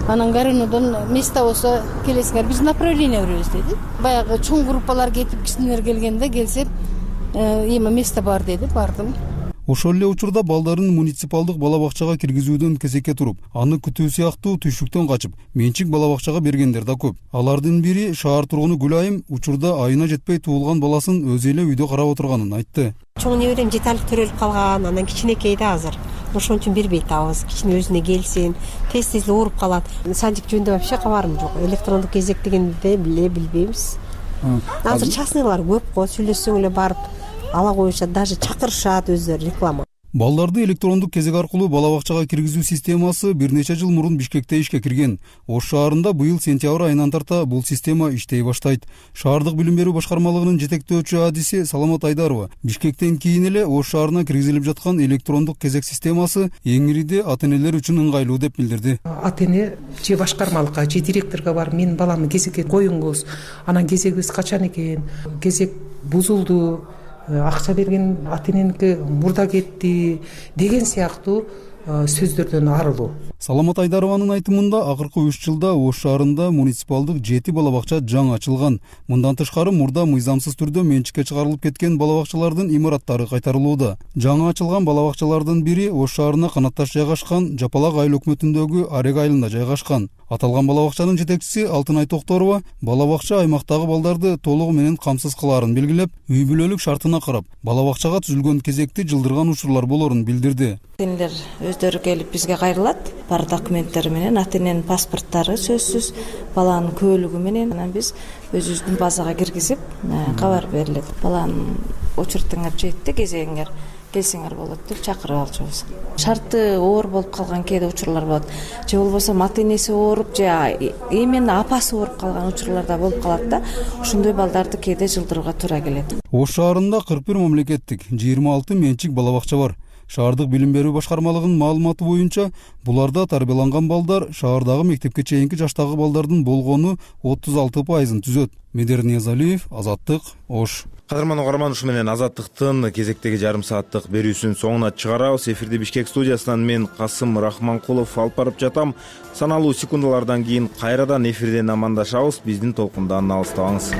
Speaker 17: анан Горюнодон место болсо келесиңер, биз направление беребиз деди. Баягы чоң группалар кетип, кичинелер келгенде келсем, эми место бар деди, бардым.
Speaker 16: Ошол эле учурда балдарын муниципалдык бала бакчага киргизүүдөн кезекке туруп, аны күтүү сыяктуу түйшүктөн качып, менчик бала бакчага бергендер да көп. Алардын бири шаар тургуну Гүлайым учурда айына жетпей туулган баласын өзү эле үйдө карап отурганын айтты.
Speaker 18: Чоң неберем жеталык төрөлүп калган, анан кичинекей да азыр. Ошон үчүн бербей атабыз. Кичине өзүнө келсин, тез-тез эле ооруп калат. Садик жөнүндө вообще кабарым жок. Электрондук кезек дегенди биле билбейбиз. Азыр частныйлар көп го, сүйлөшсөң эле барып ала коюшат, даже чакырышат өздөрү реклама.
Speaker 16: Балдарды электрондук кезек аркылуу бала бакчага киргизүү системасы бир нече жыл мурун Бишкекте ишке кирген. Ош шаарында быйыл сентябрь айынан тарта бул система иштей баштайт. Шаардык билим берүү башкармалыгынын жетектөөчү адиси Саламат Айдарова Бишкектен кийин эле Ош шаарына киргизилип жаткан электрондук кезек системасы эң ириде ата-энелер үчүн ыңгайлуу деп билдирди.
Speaker 19: Ата-эне же башкармалыкка же директорго барып, менин баламды кезекке коюңуз, анан кезегибиз качан экен, кезек бузулду, акча берген ата-эненики мурда кетти деген сыяктуу сөздөрдөн арылуу.
Speaker 16: Саламат Айдарованын айтымында акыркы үч жылда Ош шаарында муниципалдык жети бала бакча жаңы ачылган. Мындан тышкары мурда мыйзамсыз түрдө менчикке чыгарылып кеткен бала бакчалардын имараттары кайтарылууда. Жаңы ачылган бала бакчалардын бири Ош шаарына канатташ жайгашкан Жапалак айыл өкмөтүндөгү Арег айылында жайгашкан. Аталган бала бакчанын жетекчиси Алтынай Токторова бала бакча аймактагы балдарды толугу менен камсыз кылаарын белгилеп, үй бүлөлүк шартына карап, бала бакчага түзүлгөн кезекти жылдырган учурлар болорун билдирди.
Speaker 20: Ата-энелер өздөрү келип бизге кайрылат. Бар документтери менен, ата-эненин паспорттары сөзсүз, баланын көөлүгү менен анан биз өзүбүздүн базага киргизип, кабар берилет. Баланын учуртуңар жетти, кезегиңер келсеңер болот деп чакырып алчубуз. Шарты оор болуп калган кээде учурлар болот. Же болбосо ата-энеси ооруп, же именно апасы ооруп калган учурлар да болуп калат да. Ошондой балдарды кээде жылдырууга туура келет.
Speaker 16: Ош шаарында кырк бир мамлекеттик, жыйырма алты менчик бала бакча бар. Шаардык билим берүү башкармалыгынын маалыматы боюнча, буларда тарбияланган балдар шаардагы мектепке чейинки жаштагы балдардын болгону отуз алты пайызын түзөт. Медер Ниязалиев, Азаттык, Ош.
Speaker 1: Кадырман угарман, ушу менен Азаттыктын кезектеги жарым сааттык берүүсүн соңуна чыгарабыз. Эфирди Бишкек студиясынан мен Касым Рахманкулов алып барып жатам. Саналуу секундалардан кийин кайрадан эфирден амандашабыз. Биздин толкундан алыстабаңыз.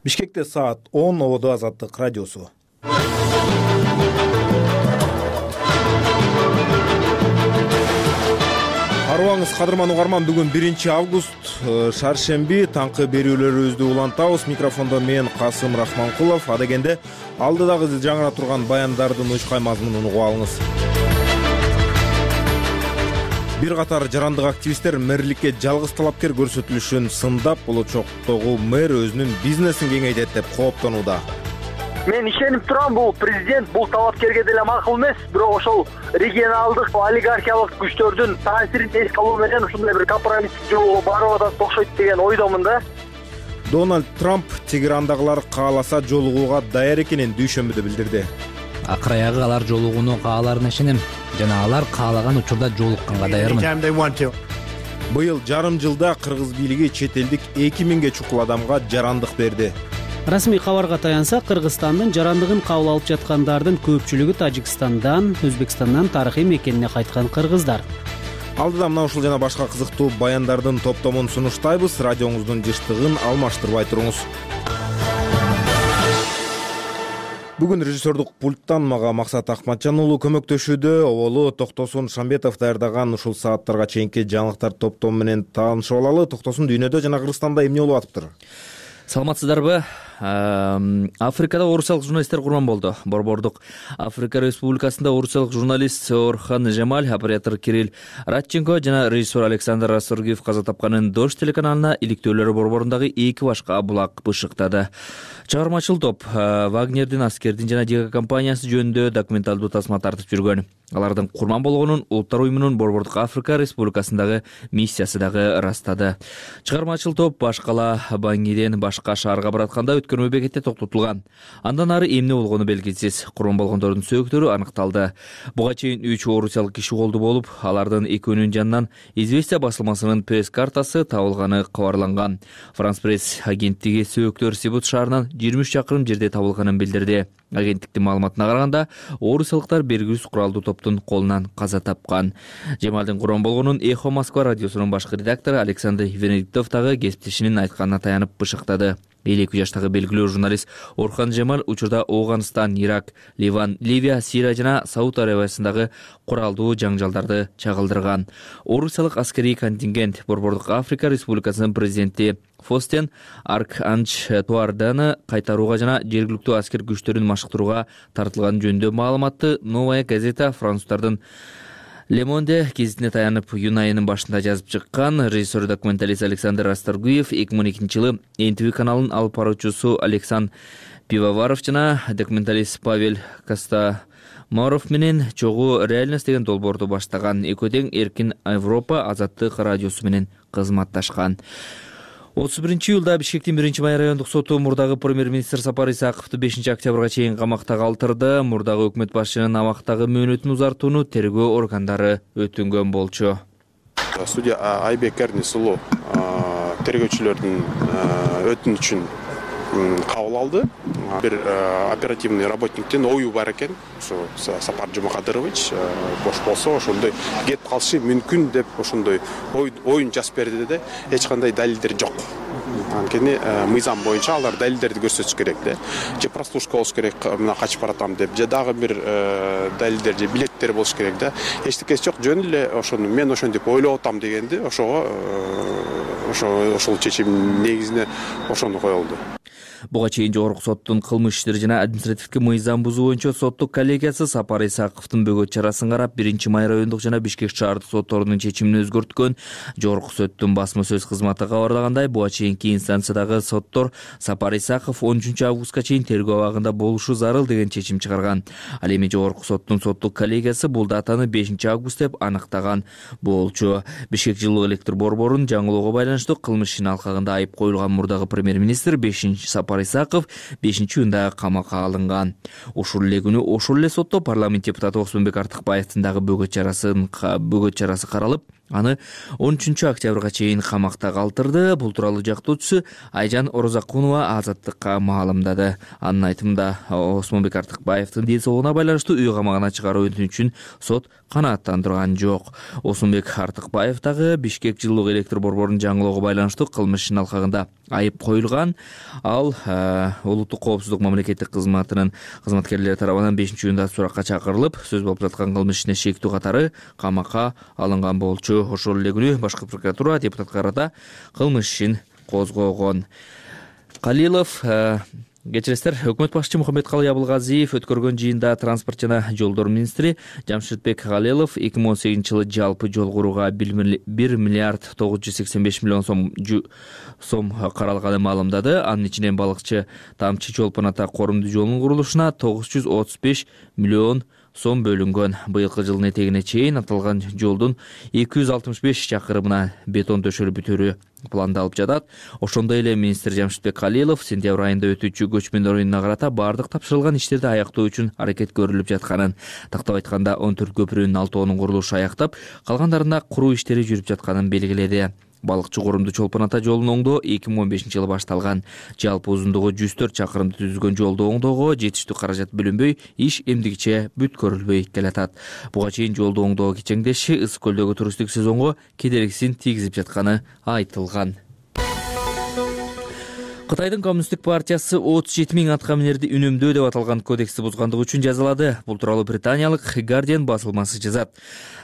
Speaker 1: Бишкекте саат он, ободо Азаттык радиосу. Арыбаңыз, кадырман угарман, бүгүн биринчи август, шаршемби, таңкы берүүлөрүбүздү улантабыз. Микрофондо мен Касым Рахманкулов. Адегенде алдыдагы жаңыра турган баяндардын учкай мазмунун угуп алыңыз. Бир катар жарандык активисттер мэрликке жалгыз талапкер көрсөтүлүшүн сындап, болочоктогу мэр өзүнүн бизнесин кеңейтет деп кооптонууда.
Speaker 21: Мен ишенип турам, бул президент бул талапкерге деле макул эмес, бирок ошол регионалдык олигархиялык күчтөрдүн таасирин эске алуу менен ушундай бир компромисстик жолго барып атат окшойт деген ойдомун да.
Speaker 1: Дональд Трамп Тегерандагылар кааласа жолугууга даяр экенин дүйшөмбүдө билдирди.
Speaker 3: Акыр аягы алар жолугууну кааларына ишенем жана алар каалаган учурда жолукканга даярмын.
Speaker 1: Быйыл жарым жылда кыргыз бийлиги чет элдик эки миңге чукул адамга жарандык берди.
Speaker 2: Расмий кабарга таянсак, Кыргызстандын жарандыгын кабыл алып жаткандардын көпчүлүгү Тажикстандан, Өзбекстандан тарыхый мекенине кайткан кыргыздар.
Speaker 1: Алдыда мына ушул жана башка кызыктуу баяндардын топтомун сунуштайбыз. Радионуздун жыштыгын алмаштырбай туруңуз. Бүгүн режиссердук пульттан мага Максат Акматжан уулу көмөктөшүүдө. Оболу Токтосун Шамбетов даярдаган ушул сааттарга чейинки жаңылыктар топтому менен таанышып алалы. Токтосун дүйнөдө жана Кыргызстанда эмне болуп атыптыр?
Speaker 4: Саламатсыздарбы? Африкада орусиялык журналисттер курман болду. Борбордук Африка Республикасында орусиялык журналист Орхан Жемаль, оператор Кирилл Радченко жана режиссер Александр Расторгиев каза тапканын Дождь телеканалына иликтөөлөрү борборундагы эки башка булак бышыктады. Чыгармачыл топ Вагнердин, аскердин жана Дига компаниясы жөнүндө документалдуу тасма тартып жүргөн. Алардын курман болгонун Улуттар уюмунун Борбордук Африка Республикасындагы миссиясы дагы ырастады. Чыгармачыл топ Башкала Баңгиден башка шаарга баратканда өткөрмө бекетте токтотулган. Андан ары эмне болгону белгисиз. Курман болгондордун сөөктөрү аныкталды. Буга чейин үч орусиялык киши колду болуп, алардын экөөнүн жанынан Известия басылмасынын пресс-картасы табылганы кабарланган. Франс пресс агенттиги сөөктөр Сибут шаарынан жыйырма үч чакырым жерде табылганын билдирди. Агенттиктин маалыматына караганда, орусиялыктар белгисиз куралдуу топтун колунан каза тапкан. Жемалдын курман болгонун Эхо Москва радиосунун башкы редактору Александр Венедиктов дагы кесиптешинин айтканына таянып бышыктады. элүү эки жаштагы белгилүү журналист Орхан Жемаль учурда Ооганстан, Ирак, Ливан, Ливия, Сирия жана Сауд Арабиясындагы куралдуу жаңжалдарды чагылдырган. Орусиялык аскерий контингент Борбордук Африка Республикасынын президенти Фостен Арканч Туарданы кайтарууга жана жергиликтүү аскер күчтөрүн машыктырууга тартылган жөнүндө маалыматты Новая газета француздардын Le Monde гезитине таянып июнь айынын башында жазып чыккан. Режиссер документалист Александр Расторгуев эки миң он экинчи жылы эн ти ви каналынын алып баруучусу Александр Пивоваров жана документалист Павел Костомаров менен чогуу реальность деген долбоорду баштаган. Экөө тең Эркин Европа Азаттык радиосу менен кызматташкан. отуз биринчи июлда Бишкектин биринчи май райондук соту мурдагы премьер-министр Сапар Исаковду бешинчи октябрга чейин камакта калтырды. Мурдагы өкмөт башчынын абактагы мөөнөтүн узартууну тергөө органдары өтүнгөн болчу.
Speaker 5: Судья Айбек Эрнис уулу тергөөчүлөрдүн өтүнүчүн кабыл алды. Бир оперативный работниктен ою бар экен. Ушу Сапар Жумакадырович бош болсо ошондой кетип калышы мүмкүн деп ошондой оюн жазып берди да. Эч кандай далилдер жок. Анткени мыйзам боюнча алар далилдерди көрсөтүш керек да. Же прослушка болуш керек, мына качып баратам деп, же дагы бир далилдер же билеттер болуш керек да. Эчтекеси жок, жөн эле ошону мен ошентип ойлоп атам дегенди, ошого ошо ошол чечим негизинде ошону коюлду.
Speaker 4: Буга чейин жогорку соттун кылмыш иштери жана административдик мыйзам бузуу боюнча соттук коллегиясы Сапар Исаковдун бөгөт чарасын карап, биринчи май райондук жана Бишкек шаардык сотторунун чечимин өзгөрткөн. Жогорку соттун басма сөз кызматы кабарлагандай, буга чейинки инстанциядагы соттор Сапар Исаков он үчүнчү августка чейин тергөө абагында болушу зарыл деген чечим чыгарган. Ал эми жогорку соттун соттук коллегиясы бул датаны бешинчи август деп аныктаган болчу. Бишкек жылуу электр борборун жаңылоого байланыштуу кылмыш ишинин алкагында айып коюлган мурдагы премьер-министр бешинчи Сапар Исаков бешинчи июнда камакка алынган. Ушул эле күнү ошол эле сотто парламент депутаты Осмонбек Артыкбаевдин дагы бөгөт чарасын бөгөт чарасы каралып, аны он үчүнчү октябрга чейин камакта калтырды. Бул тууралуу жактоочусу Айжан Орозакунова Азаттыкка маалымдады. Анын айтымында, Осмонбек Артыкбаевдин ден соолугуна байланыштуу үй камагына чыгаруу өтүнүчүн сот канааттандырган жок. Осмонбек Артыкбаев дагы Бишкек жылуу электр борборунун жаңылоого байланыштуу кылмыш ишинин алкагында айып коюлган. Ал улуттук коопсуздук мамлекеттик кызматынын кызматкерлери тарабынан бешинчи июнда суракка чакырылып, сөз болуп жаткан кылмыш ишине шектүү катары камакка алынган болчу. Ошол эле күнү башкы прокуратура депутатка карата кылмыш ишин козгогон. Калилов Кечиресиздер, өкмөт башчы Мухаммедкалый Абылгазиев өткөргөн жыйында транспорт жана жолдор министри Жамшитбек Калилов эки миң он сегизинчи жылы жалпы жол курууга бир миллиард тогуз жүз сексен беш миллион сом сом каралганын маалымдады. Анын ичинен балыкчы Тамчы Чолпон Ата Корумдуу жолунун курулушуна тогуз жүз отуз беш миллион сом бөлүнгөн. Быйылкы жылдын этегине чейин аталган жолдун эки жүз алтымыш беш чакырымына бетон төшөлүп бүтүрүү пландалып жатат. Ошондой эле министр Жамшитбек Калилов сентябрь айында өтүүчү көчмөндөр оюнуна карата бардык тапшырылган иштерди аяктоо үчүн аракет көрүлүп жатканын, тактап айтканда он төрт көпүрөнүн алтоонун курулушу аяктап, калгандарына куруу иштери жүрүп жатканын белгиледи. Балыкчы Корумдуу Чолпон Ата жолун оңдоо эки миң он бешинчи жылы башталган. Жалпы узундугу жүз төрт чакырымды түзгөн жолду оңдоого жетиштүү каражат бөлүнбөй, иш эмдигиче бүткөрүлбөй келатат. Буга чейин жолду оңдоо кичеңдеши Ысык көлдөгү туристтик сезонго кедергисин тийгизип жатканы айтылган. Кытайдын Коммунисттик партиясы отуз жети миң атка минерди үнөмдөө деп аталган кодексти бузгандыгы үчүн жазалады. Бул тууралуу британиялык Guardian басылмасы жазат.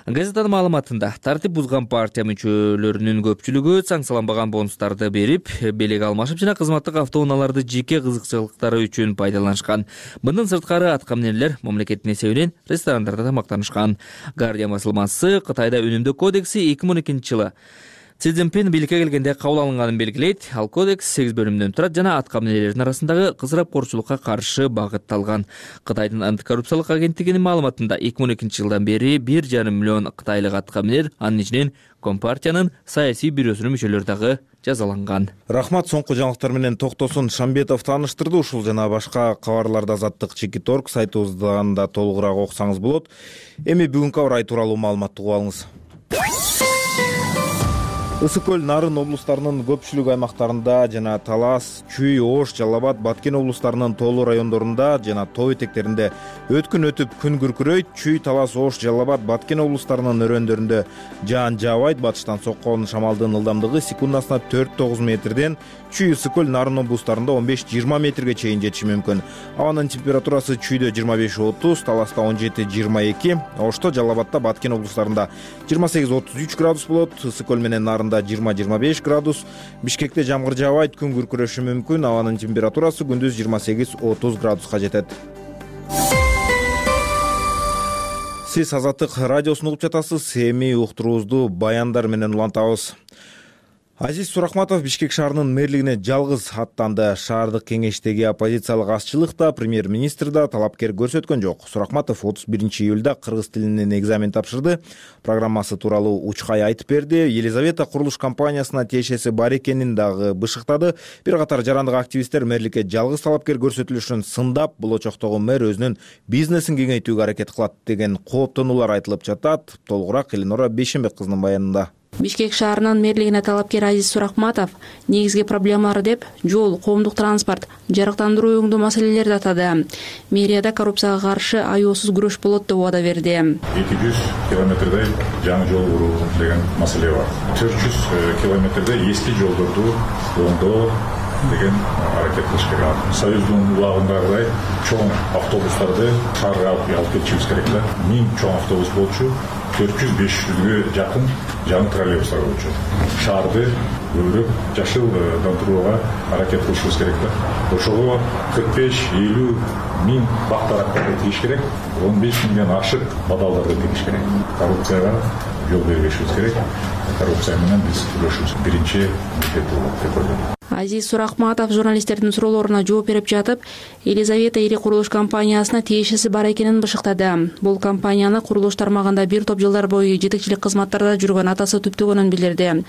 Speaker 4: Газетанын маалыматында тартип бузган партия мүчөлөрүнүн көпчүлүгү санкцияланбаган бонустарды берип, белек алмашып жана кызматтык автоунааларды жеке кызыкчылыктары үчүн пайдаланышкан. Мындан сырткары атка минерлер мамлекеттин эсебинен ресторандарда тамактанышкан. Guardian басылмасы Кытайда үнөмдөө кодекси эки миң он экинчи жылы Си Цзиньпин бийликке келгенде кабыл алынганын белгилейт. Ал кодекс сегиз бөлүмдөн турат жана атка минерлердин арасындагы кызырапкорчулукка каршы багытталган. Кытайдын антикоррупциялык агенттигинин маалыматында эки миң он экинчи жылдан бери бир жарым миллион кытайлык атка минер, анын ичинен Компартиянын саясий бюросунун мүчөлөрү дагы жазаланган.
Speaker 1: Рахмат, соңку жаңылыктар менен Токтосун Шамбетов тааныштырды. Ушул жана башка кабарларды Азаттык Чекит точка орг сайтыбыздан да толугураак окусаңыз болот. Эми бүгүнкү аба ырайы тууралуу маалыматты угуп алыңыз. Ысык көл, Нарын облустарынын көпчүлүк аймактарында жана Талас, Чүй, Ош, Жалал Абад, Баткен облустарынын тоолуу райондорунда жана тоо этектеринде өткүн өтүп күн күркүрөйт. Чүй, Талас, Ош, Жалал Абад, Баткен облустарынын өрөөндөрүндө жаан жаабайт. Батыштан соккон шамалдын ылдамдыгы секундасына төрт тогуз метрден, Чүй, Ысык көл, Нарын облустарында он беш жыйырма метрге чейин жетиши мүмкүн. Абанын температурасы Чүйдө жыйырма беш отуз, Таласта он жети жыйырма эки, Ошто, Жалал Абадта, Баткен облустарында жыйырма сегиз отуз үч градус болот. Ысык көл менен Нарында жыйырма жыйырма беш градус. Бишкекте жамгыр жаабайт, күн күркүрөшү мүмкүн. Абанын температурасы күндүз жыйырма сегиз отуз градуска жетет. Сиз Азаттык радиосун угуп жатасыз. Эми уктуруубузду баяндар менен улантабыз. Азиз Сурахматов Бишкек шаарынын мэрлигине жалгыз аттанды. Шаардык кеңештеги оппозициялык азчылык да, премьер-министр да талапкер көрсөткөн жок. Сурахматов отуз биринчи июлда кыргыз тилинен экзамен тапшырды. Программасы тууралуу учкай айтып берди. Елизавета курулуш компаниясына тиешеси бар экенин дагы бышыктады. Бир катар жарандык активисттер мэрликке жалгыз талапкер көрсөтүлүшүн сындап, бул очоктогу мэр өзүнүн бизнесин кеңейтүүгө аракет кылат деген кооптонуулар айтылып жатат. Толугураак Эленора Бейшенбек кызынын баянында.
Speaker 7: Бишкек шаарынын мэрлигине талапкер Азиз Сурахматов негизги проблемалар деп жол, коомдук транспорт, жарыктандыруу өңдөө маселелерди атады. Мэрияда коррупцияга каршы аяосуз күрөш болот деп убада берди.
Speaker 22: эки жүз километрдей жаңы жол куруу деген маселе бар. төрт жүз километрдей эски жолдорду оңдоо деген аракет кылыш керек. Союздун улагындагыдай чоң автобустарды шаарга алып кетишибиз керек да. Миң чоң автобус болчу, төрт жүз беш жүзгө жакын жаңы троллейбустар болчу. Шаарды көбүрөөк жашылдандырууга аракет кылышыбыз керек да. Ошого кырк беш элүү миң бактарактарды тийиш керек, он беш миңден ашык бадалдарды тийиш керек. Коррупцияга жол бербешибиз керек. Коррупция менен биз күрөшүбүз биринчи милдет болот деп ойлойм.
Speaker 7: Азиз Суракматов журналисттердин суроолоруна жооп берип жатып, Елизавета ири курулуш компаниясына тиешеси бар экенин бышыктады. Бул компанияны курулуш тармагында бир топ жылдар бою жетекчилик кызматтарда жүргөн атасы түптөгөнүн билдирди.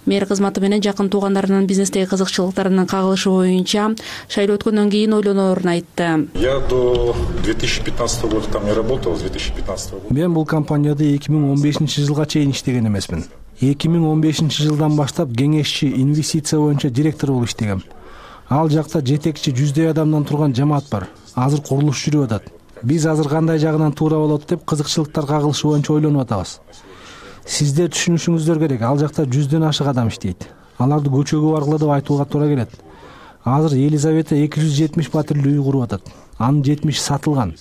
Speaker 7: Мэр кызматы менен жакын туугандарынын бизнестеги кызыкчылыктарынын кагылышы боюнча шайлоо өткөндөн кийин ойлоноорун айтты.
Speaker 22: Я до две тысячи пятнадцатого года там не работал, с две тысячи пятнадцатого года.
Speaker 6: Мен бул компанияда эки миң он бешинчи жылга чейин иштеген эмесмин. эки миң он бешинчи жылдан баштап кеңешчи инвестиция боюнча директор болуп иштегем. Ал жакта жетекчи жүздөй адамдан турган жамаат бар. Азыр курулуш жүрүп атат. Биз азыр кандай жагынан туура болот деп кызыкчылыктар кагылышы боюнча ойлонуп атабыз. Сиздер түшүнүшүңүздөр керек, ал жакта жүздөн ашык адам иштейт. Аларды көчөгө баргыла деп айтууга туура келет. Азыр Елизавета эки жүз жетимиш батирлүү үй куруп атат. Анын жетимиши сатылган.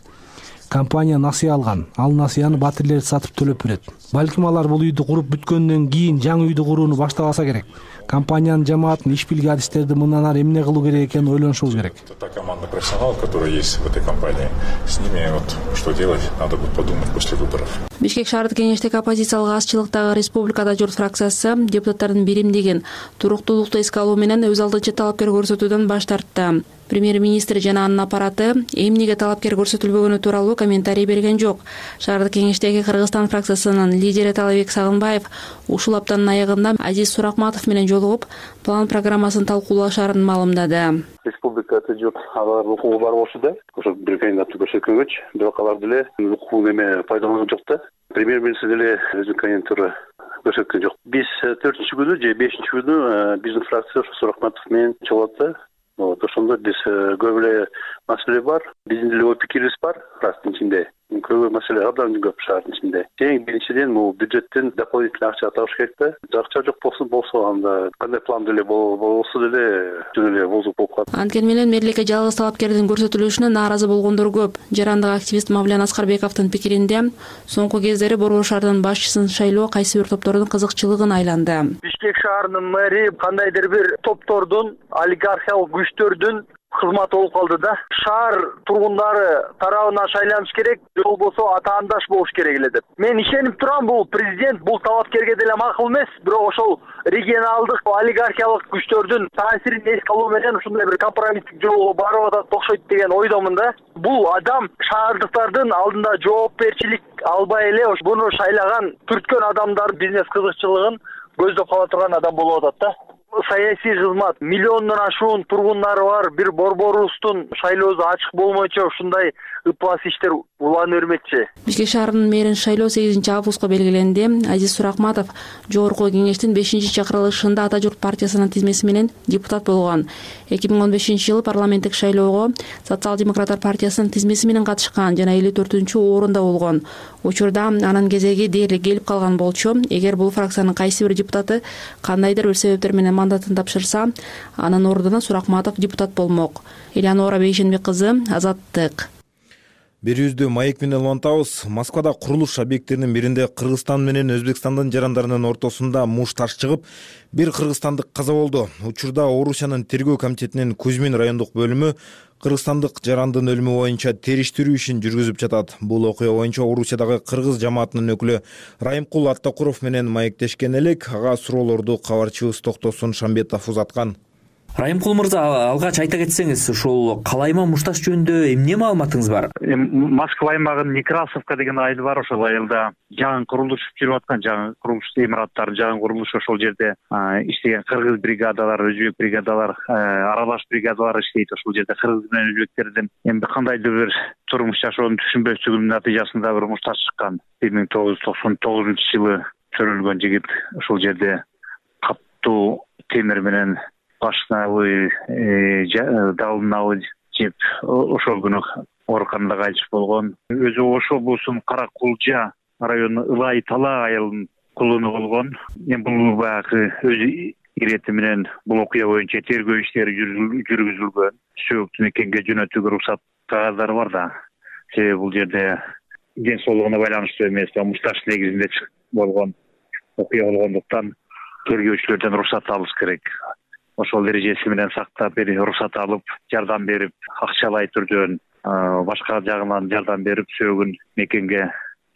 Speaker 6: Компания насыя алган. Ал насыяны батирлер сатып төлөп берет. Балким алар бул үйдү куруп бүткөндөн кийин жаңы үйдү курууну баштабаса керек. Компаниянын жамаатын иш билги адистерди мындан ары эмне кылуу керек экенин ойлонушубуз керек.
Speaker 22: Та команда профессионалов, которая есть в этой компании, с ними вот что делать, надо будет подумать после выборов.
Speaker 7: Бишкек шаардык кеңештеги оппозициялык азчылыктагы Республикада журт фракциясы депутаттардын биримдигин туруктуулукту эске алуу менен өз алдынча талапкер көрсөтүүдөн баш тартты. Премьер-министр жана анын аппараты эмнеге талапкер көрсөтүлбөгөнү тууралуу комментарий берген жок. Шаардык кеңештеги Кыргызстан фракциясынын лидери Талабек Сагынбаев ушул аптанын аягында Азиз Суракматов менен жолугуп, план программасын талкуулашарын маалымдады.
Speaker 8: Республикада жок алар укугу бар болчу да, ошо бир кандидатты көрсөткөнгөч, бирок алар деле укугун эме пайдаланган жок да. Премьер-министр деле өзүнүн кандидатура көрсөткөн жок. Биз төртүнчү күнү же бешинчи күнү биздин фракция Суракматов менен чогулат да. Вот, ошондо биз көп эле маселе бар. Биздин деле ой пикирибиз бар фракциянын ичинде. Көп маселе абдан көп шаардын ичинде. Эң биринчиден бул бюджеттен дополнительный акча табыш керек да. Акча жок болсо болсо анда кандай план деле болсо деле жөн эле бозук болуп калат.
Speaker 7: Анткени менен мэрликке жалгыз талапкердин көрсөтүлүшүнө нааразы болгондор көп. Жарандык активист Мавлян Аскарбековдун пикиринде, соңку кездери Борбор шаарынын башчысын шайлоо кайсы бир топтордун кызыкчылыгын айланды.
Speaker 21: Бишкек шаарынын мэри кандайдыр бир топтордун, олигархиялык күчтөрдүн кызматы болуп калды да. Шаар тургундары тарабынан шайланыш керек, же болбосо атаандаш болуш керек эле деп. Мен ишенип турам, бул президент бул талапкерге деле макул эмес, бирок ошол регионалдык олигархиялык күчтөрдүн таасирин эске алуу менен ушундай бир компромисстик жолго барып атат окшойт деген ойдомун да. Бул адам шаардыктардын алдында жоопкерчилик албай эле буну шайлаган, түрткөн адамдардын бизнес кызыкчылыгын көздөп кала турган адам болуп атат да. Саясий кызмат миллиондон ашуун тургундары бар бир борборубуздун шайлоосу ачык болмойчу ушундай ыплас иштер улана бермекчи.
Speaker 7: Бишкек шаарынын мэрин шайлоо сегизинчи августка белгиленди. Азиз Суракматов жогорку кеңештин бешинчи чакырылышында Ата журт партиясынын тизмеси менен депутат болгон. эки миң он бешинчи жылы парламенттик шайлоого Социал-демократтар партиясынын тизмеси менен катышкан жана элүү төртүнчү орунда болгон. Учурда анын кезеги дээрлик келип калган болчу. Эгер бул фракциянын кайсы бир депутаты кандайдыр бир себептер менен мандатын тапшырса, анын ордуна Суракматов депутат болмок. Элеонора Бейшенбек кызы, Азаттык.
Speaker 1: Берүүбүздү маек менен улантабыз. Москвада курулуш объекттеринин биринде Кыргызстан менен Өзбекстандын жарандарынын ортосунда муш таш чыгып, бир кыргызстандык каза болду. Учурда Орусиянын тергөө комитетинин Кузьмин райондук бөлүмү кыргызстандык жарандын өлүмү боюнча териштирүү ишин жүргүзүп жатат. Бул окуя боюнча Орусиядагы кыргыз жамаатынын өкүлү Райымкул Аттакуров менен маектешкен элек. Ага суроолорду кабарчыбыз Токтосун Шамбетов узаткан.
Speaker 4: Райымкул мырза, алгач айта кетсеңиз, ушул калайма мушташ жөнүндө эмне маалыматыңыз бар?
Speaker 23: Москва аймагынын Некрасовка деген айыл бар, ошол айылда жаңы курулуш жүрүп аткан, жаңы курулуш имараттары, жаңы курулуш, ошол жерде иштеген кыргыз бригадалар, өзбек бригадалар, аралаш бригадалар иштейт. Ошол жерде кыргыз менен өзбектердин эми кандайдыр бир турмуш жашоонун түшүнбөстүгүнүн натыйжасында бир мушташ чыккан. бир миң тогуз жүз токсон тогузунчу жылы чөрөлгөн жигит ошол жерде катуу темир менен башынабы, далынабы жеп, ошол күнү ооруканада кайтыш болгон. Өзү Ош облусунун Кара Кулжа району Ылай Тала айылынын кулуну болгон. Эми бул баягы өзү ирети менен бул окуя боюнча тергөө иштери жүргүзүлгөн. Сөөктүн экенге жөнөтүүгө уруксат кагаздары бар да. Себеби бул жерде ден соолугуна байланыштуу эмес, мушташ негизинде болгон окуя болгондуктан тергөөчүлөрдөн уруксат алыш керек. Ошол эрежеси менен сактап уруксат алып, жардам берип, акчалай түрдөн башка жагынан жардам берип сөөгүн мекенге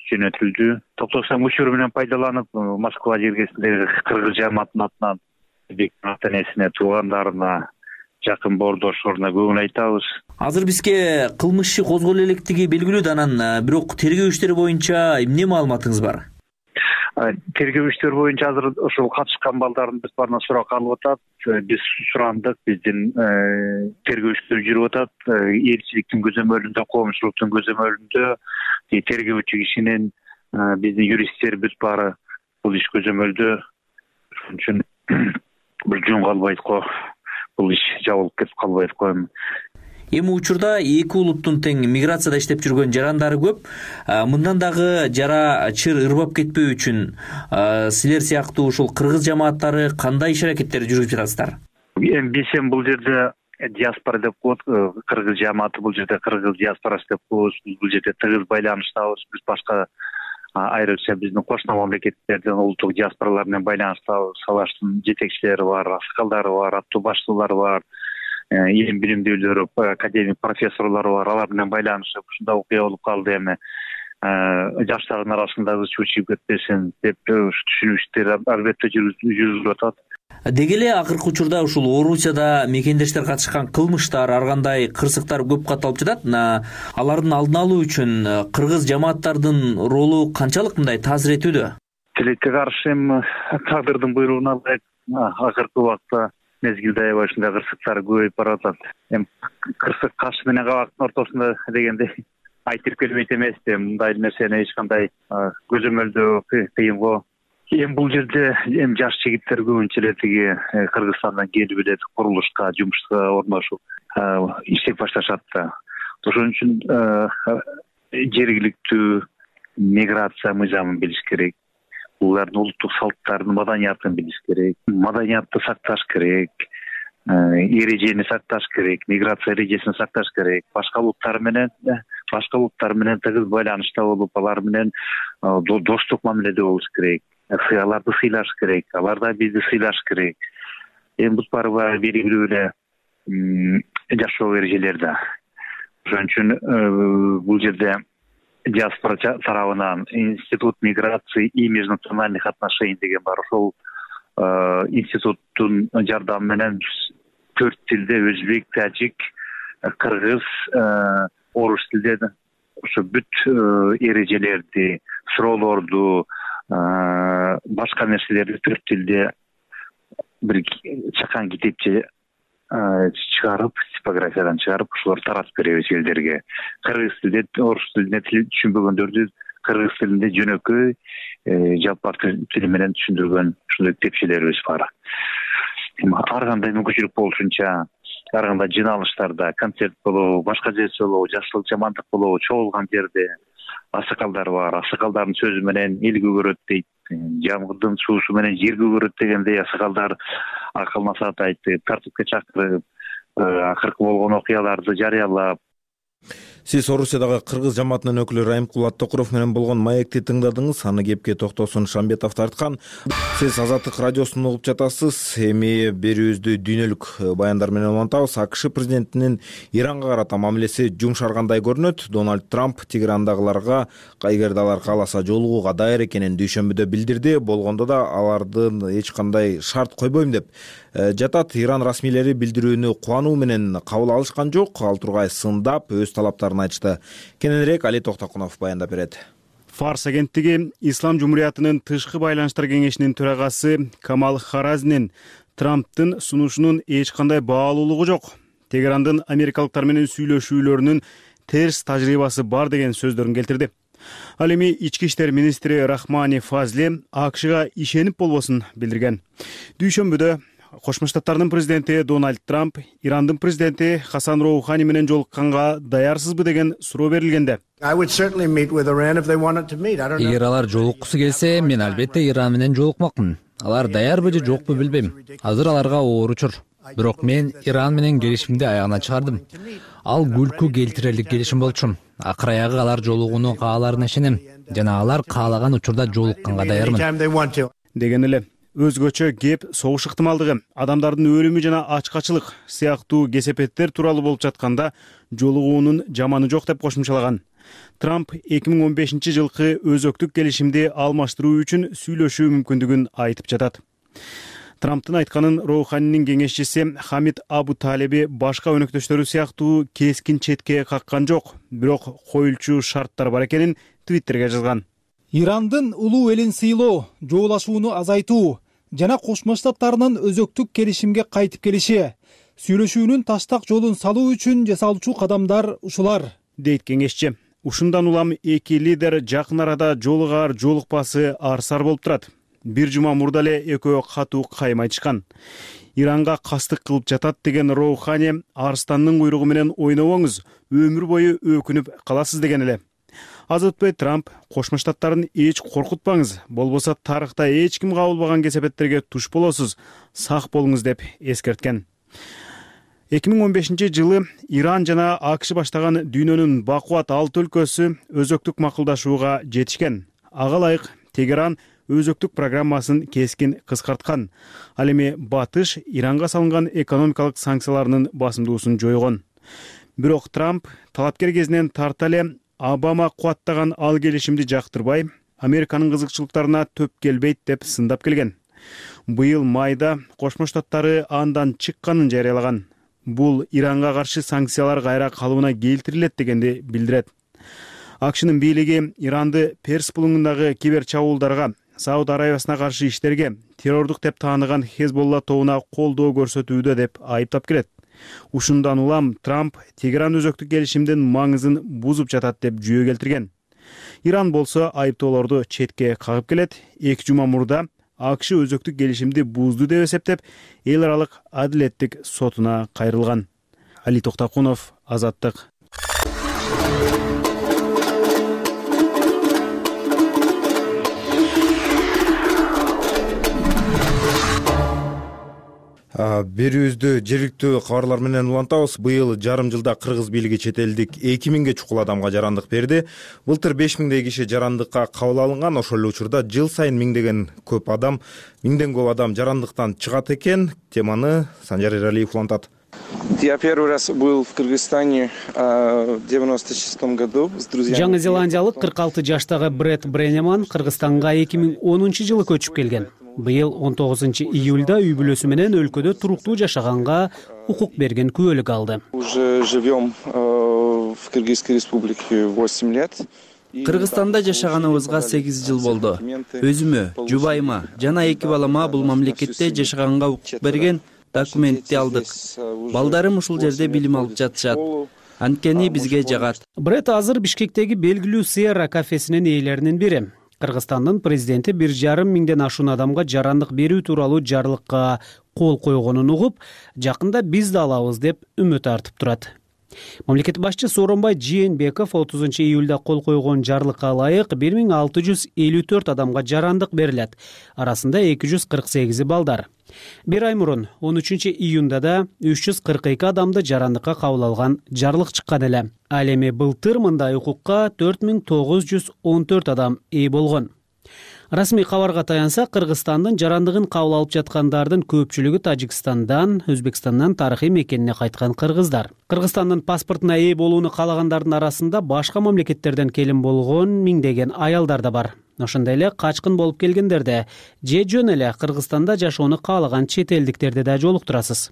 Speaker 23: жөнөтүлдү. Токтосаң учуру менен пайдаланып, Москва жергесиндеги кыргыз жамаатынын атынан Бектин ата-энесине, туугандарына, жакын боордошуна көңүл айтабыз.
Speaker 4: Азыр бизге кылмыш иши козголо электиги белгилүү да, анан бирок тергөө иштери боюнча эмне маалыматыңыз бар?
Speaker 23: Тергөө иштери боюнча азыр ошол катышкан балдардын биз баарынан сурак алып атат. Биз сурандык, биздин тергөө иштери жүрүп атат. Элчиликтин көзөмөлүндө, коомчулуктун көзөмөлүндө тергөөчү кишинин, биздин юристтерибиз баары бул иш көзөмөлдө. Ошон үчүн бир жөн калбайт го, бул иш жабылып кетип калбайт го.
Speaker 4: Эми учурда эки улуттун тең миграцияда иштеп жүргөн жарандары көп. Мындан дагы жара чыр ырбап кетпөө үчүн силер сыяктуу ушул кыргыз жамааттары кандай иш аракеттер жүргүзүп жатасыздар?
Speaker 23: Эми биз эми бул жерде диаспора деп коет, кыргыз жамааты бул жерде кыргыз диаспорасы деп коебуз. Бул жерде тыгыз байланыштабыз. Биз башка айрыкча биздин кошуна мамлекеттердин улуттук диаспоралар менен байланыштабыз. Алардын жетекчилери бар, аксакалдары бар, аттуу баштуулары бар, эң билимдүүлөр, академик профессорлор бар. Алар менен байланышып, ушундай окуя болуп калды эми. Жаштардын арасындагы чучуп кетпесин деп түшүнүү иштери албетте жүрүлүп атат.
Speaker 4: Деги эле акыркы учурда ушул Орусияда мекендештер катышкан кылмыштар, ар кандай кырсыктар көп катталып жатат. Алардын алдын алуу үчүн кыргыз жамааттардын ролу канчалык мындай таасир этүүдө?
Speaker 23: Тилекке каршы эми тагдырдын буйругуна ылайык акыркы убакта мезгилде аябай ушундай кырсыктар көбөйүп баратат. Эми кырсык каш менен кабактын ортосунда дегенде айтып келбейт эмес да, мындай нерсени эч кандай көзөмөлдөө кыйын го. Эми бул жерде эми жаш жигиттер көбүнчө эле тиги Кыргызстандан келип эле курулушка, жумушка орношуп иштеп башташат да. Ошон үчүн жергиликтүү миграция мыйзамын билиш керек. Булардын улуттук салттарын, маданиятын билиш керек. Маданиятты сакташ керек. Эрежени сакташ керек, миграция эрежесин сакташ керек. Башка улуттар менен, башка улуттар менен тыгыз байланышта болуп, алар менен достук мамиледе болуш керек. Аларды сыйлаш керек, алар да бизди сыйлаш керек. Эми бул баары белгилүү эле жашоо эрежелер да. Ошон үчүн бул жерде диаспора тарабынан институт миграции и межнациональных отношений деген бар. Ошол институттун жардамы менен төрт тилде өзбек, тажик, кыргыз, орус тилде ошо бүт эрежелерди, суроолорду, башка нерселерди төрт тилде бир чакан китепче чыгарып, типографиядан чыгарып, ошолорду таратып беребиз элдерге. Кыргыз тилде, орус тилинде түшүнбөгөндөрдү кыргыз тилинде жөнөкөй, жалпак тили менен түшүндүргөн ушундай китепчелерибиз бар. Ар кандай мүмкүнчүлүк болушунча, ар кандай жыналыштарда, концерт болобу, башка жерде болобу, жакшылык жамандык болобу, чогулган жерде аксакалдар бар. Аксакалдардын сөзү менен эл көгөрөт дейт. Жамгырдын суусу менен жер көгөрөт дегендей аксакалдар акыл насаат айтып, тартипке чакырып, акыркы болгон окуяларды жарыялап.
Speaker 1: Сиз Орусиядагы кыргыз жамаатынын өкүлү Райымкул Аттокуров менен болгон маекти тыңдадыңыз. Аны кепке Токтосун Шамбетов тарткан. Сиз Азаттык радиосун угуп жатасыз. Эми берүүбүздү дүйнөлүк баяндар менен улантабыз. АКШ президентинин Иранга карата мамилеси жумшаргандай көрүнөт. Дональд Трамп Тегерандагыларга эгерде алар кааласа жолугууга даяр экенин дүйшөмбүдө билдирди. Болгондо да алардын эч кандай шарт койбойм деп жатат. Иран расмийлери билдирүүнү кубануу менен кабыл алышкан жок. Ал тургай сындап өз талаптарын айтышты. Кененирээк Али Токтокунов баяндап берет.
Speaker 10: Фарс агенттиги Ислам Жумуриятынын тышкы байланыштар кеңешинин төрагасы Камал Харазнин Трамптын сунушунун эч кандай баалуулугу жок, Тегерандын америкалыктар менен сүйлөшүүлөрүнүн терс тажрыйбасы бар деген сөздөрүн келтирди. Ал эми ички иштер министри Рахмани Фазли АКШга ишенип болбосун билдирген. Дүйшөмбүдө Кошмо Штаттардын президенти Дональд Трамп Ирандын президенти Хасан Роухани менен жолукканга даярсызбы деген суроо берилгенде,
Speaker 3: эгер алар жолуккусу келсе, мен албетте Иран менен жолукмакмын. Алар даярбы же жокпу билбейм. Азыр аларга оор учур. Бирок мен Иран менен келишимди аягына чыгардым. Ал күлкү келтирерлик келишим болчу. Акыр аягы алар жолугууну кааларына ишенем жана алар каалаган учурда жолукканга даярмын
Speaker 10: деген эле. өзгөчө кеп согуш ыктымалдыгы, адамдардын өлүмү жана ачкачылык сыяктуу кесепеттер тууралуу болуп жатканда жолугуунун жаманы жок деп кошумчалаган. Трамп эки миң он бешинчи жылкы өзөктүк келишимди алмаштыруу үчүн сүйлөшүү мүмкүндүгүн айтып жатат. Трамптын айтканын Роуханинин кеңешчиси Хамид Абу Талеби башка өнөктөштөрү сыяктуу кескин четке каккан жок, бирок коюлчу шарттар бар экенин Твиттерге жазган.
Speaker 11: Ирандын улуу элин сыйлоо, жоолашууну азайтуу жана Кошмо Штаттарынын өзөктүк келишимге кайтып келиши, сүйлөшүүнүн таштак жолун салуу үчүн жасалчу кадамдар ушулар,
Speaker 10: дейт кеңешчи. Ушундан улам эки лидер жакын арада жолугаар жолукпасы арсар болуп турат. Бир жума мурда эле экөө катуу кайым айтышкан. Иранга кастык кылып жатат деген Роухани арстандын куйругу менен ойнобоңуз, өмүр бою өкүнүп каласыз деген эле. Аз өтпөй Трамп Кошмо Штаттарын эч коркутпаңыз, болбосо тарыхта эч ким кабылбаган кесепеттерге туш болосуз, сак болуңуз деп эскерткен. эки миң он бешинчи жылы Иран жана АКШ баштаган дүйнөнүн бакубат алты өлкөсү өзөктүк макулдашууга жетишкен. Ага ылайык Тегеран өзөктүк программасын кескин кыскарткан. Ал эми Батыш Иранга салынган экономикалык санкцияларынын басымдуусун жойгон. Бирок Трамп талапкер кезинен тарта эле Обама кубаттаган ал келишимди жактырбай, Американын кызыкчылыктарына төп келбейт деп сындап келген. Быйыл майда Кошмо Штаттары андан чыкканын жарыялаган. Бул Иранга каршы санкциялар кайра калыбына келтирилет дегенди билдирет. АКШнын бийлиги Иранды Перс булуңундагы кибер чабуулдарга, Сауд Арабиясына каршы иштерге, террордук деп тааныган Хезболла тобуна колдоо көрсөтүүдө деп айыптап келет. Ушундан улам Трамп Тегеран өзөктүк келишимдин маңызын бузуп жатат деп жүйө келтирген. Иран болсо айыптоолорду четке кагып келет. эки жума мурда АКШ өзөктүк келишимди бузду деп эсептеп, эл аралык адилеттик сотуна кайрылган. Али Токтакунов, Азаттык.
Speaker 1: Берүүбүздү жергиликтүү кабарлар менен улантабыз. Быйыл жарым жылда кыргыз бийлиги чет элдик эки миңге чукул адамга жарандык берди. Былтыр беш миңдей киши жарандыкка кабыл алынган. Ошол эле учурда жыл сайын миңдеген көп адам, миңден көп адам жарандыктан чыгат экен. Теманы Санжар Эралиев улантат.
Speaker 13: Я первый раз был в Кыргызстане в девяносто шестом году с друзьями.
Speaker 2: Жаңы Зеландиялык кырк алты жаштагы Бред Бренеман Кыргызстанга эки миң онунчу жылы көчүп келген. Быйыл он тогузунчу июлда үй бүлөсү менен өлкөдө туруктуу жашаганга укук берген күбөлүк алды.
Speaker 13: Уже живем в Кыргызской республике восемь лет.
Speaker 14: Кыргызстанда жашаганыбызга сегиз жыл болду. Өзүмө, жубайыма жана эки балама бул мамлекетте жашаганга укук берген документти алдык. Балдарым ушул жерде билим алып жатышат. Анткени бизге жагат.
Speaker 2: Бред азыр Бишкектеги белгилүү Сierra кафесинин ээлеринин бири. Кыргызстандын президенти бир жарым миңден ашуун адамга жарандык берүү тууралуу жарлыкка кол койгонун угуп, жакында биз да алабыз деп үмүт артып турат. Мамлекет башчысы Сооронбай Жээнбеков отузунчу июлда кол койгон жарлыкка ылайык бир миң алты жүз элүү төрт адамга жарандык берилет. Арасында эки жүз кырк сегизи балдар. Бир ай мурун он үчүнчү июнда да үч жүз кырк эки адамды жарандыкка кабыл алган жарлык чыккан эле. Ал эми былтыр мындай укукка төрт миң тогуз жүз он төрт адам ээ болгон. Расмий кабарга таянса, Кыргызстандын жарандыгын кабыл алып жаткандардын көпчүлүгү Тажикстандан, Өзбекстандан тарыхый мекенине кайткан кыргыздар. Кыргызстандын паспортуна ээ болууну каалагандардын арасында башка мамлекеттерден келин болгон миңдеген аялдар да бар. Ошондой эле качкын болуп келгендерде же жөн эле Кыргызстанда жашоону каалаган чет элдиктерди да жолуктурасыз.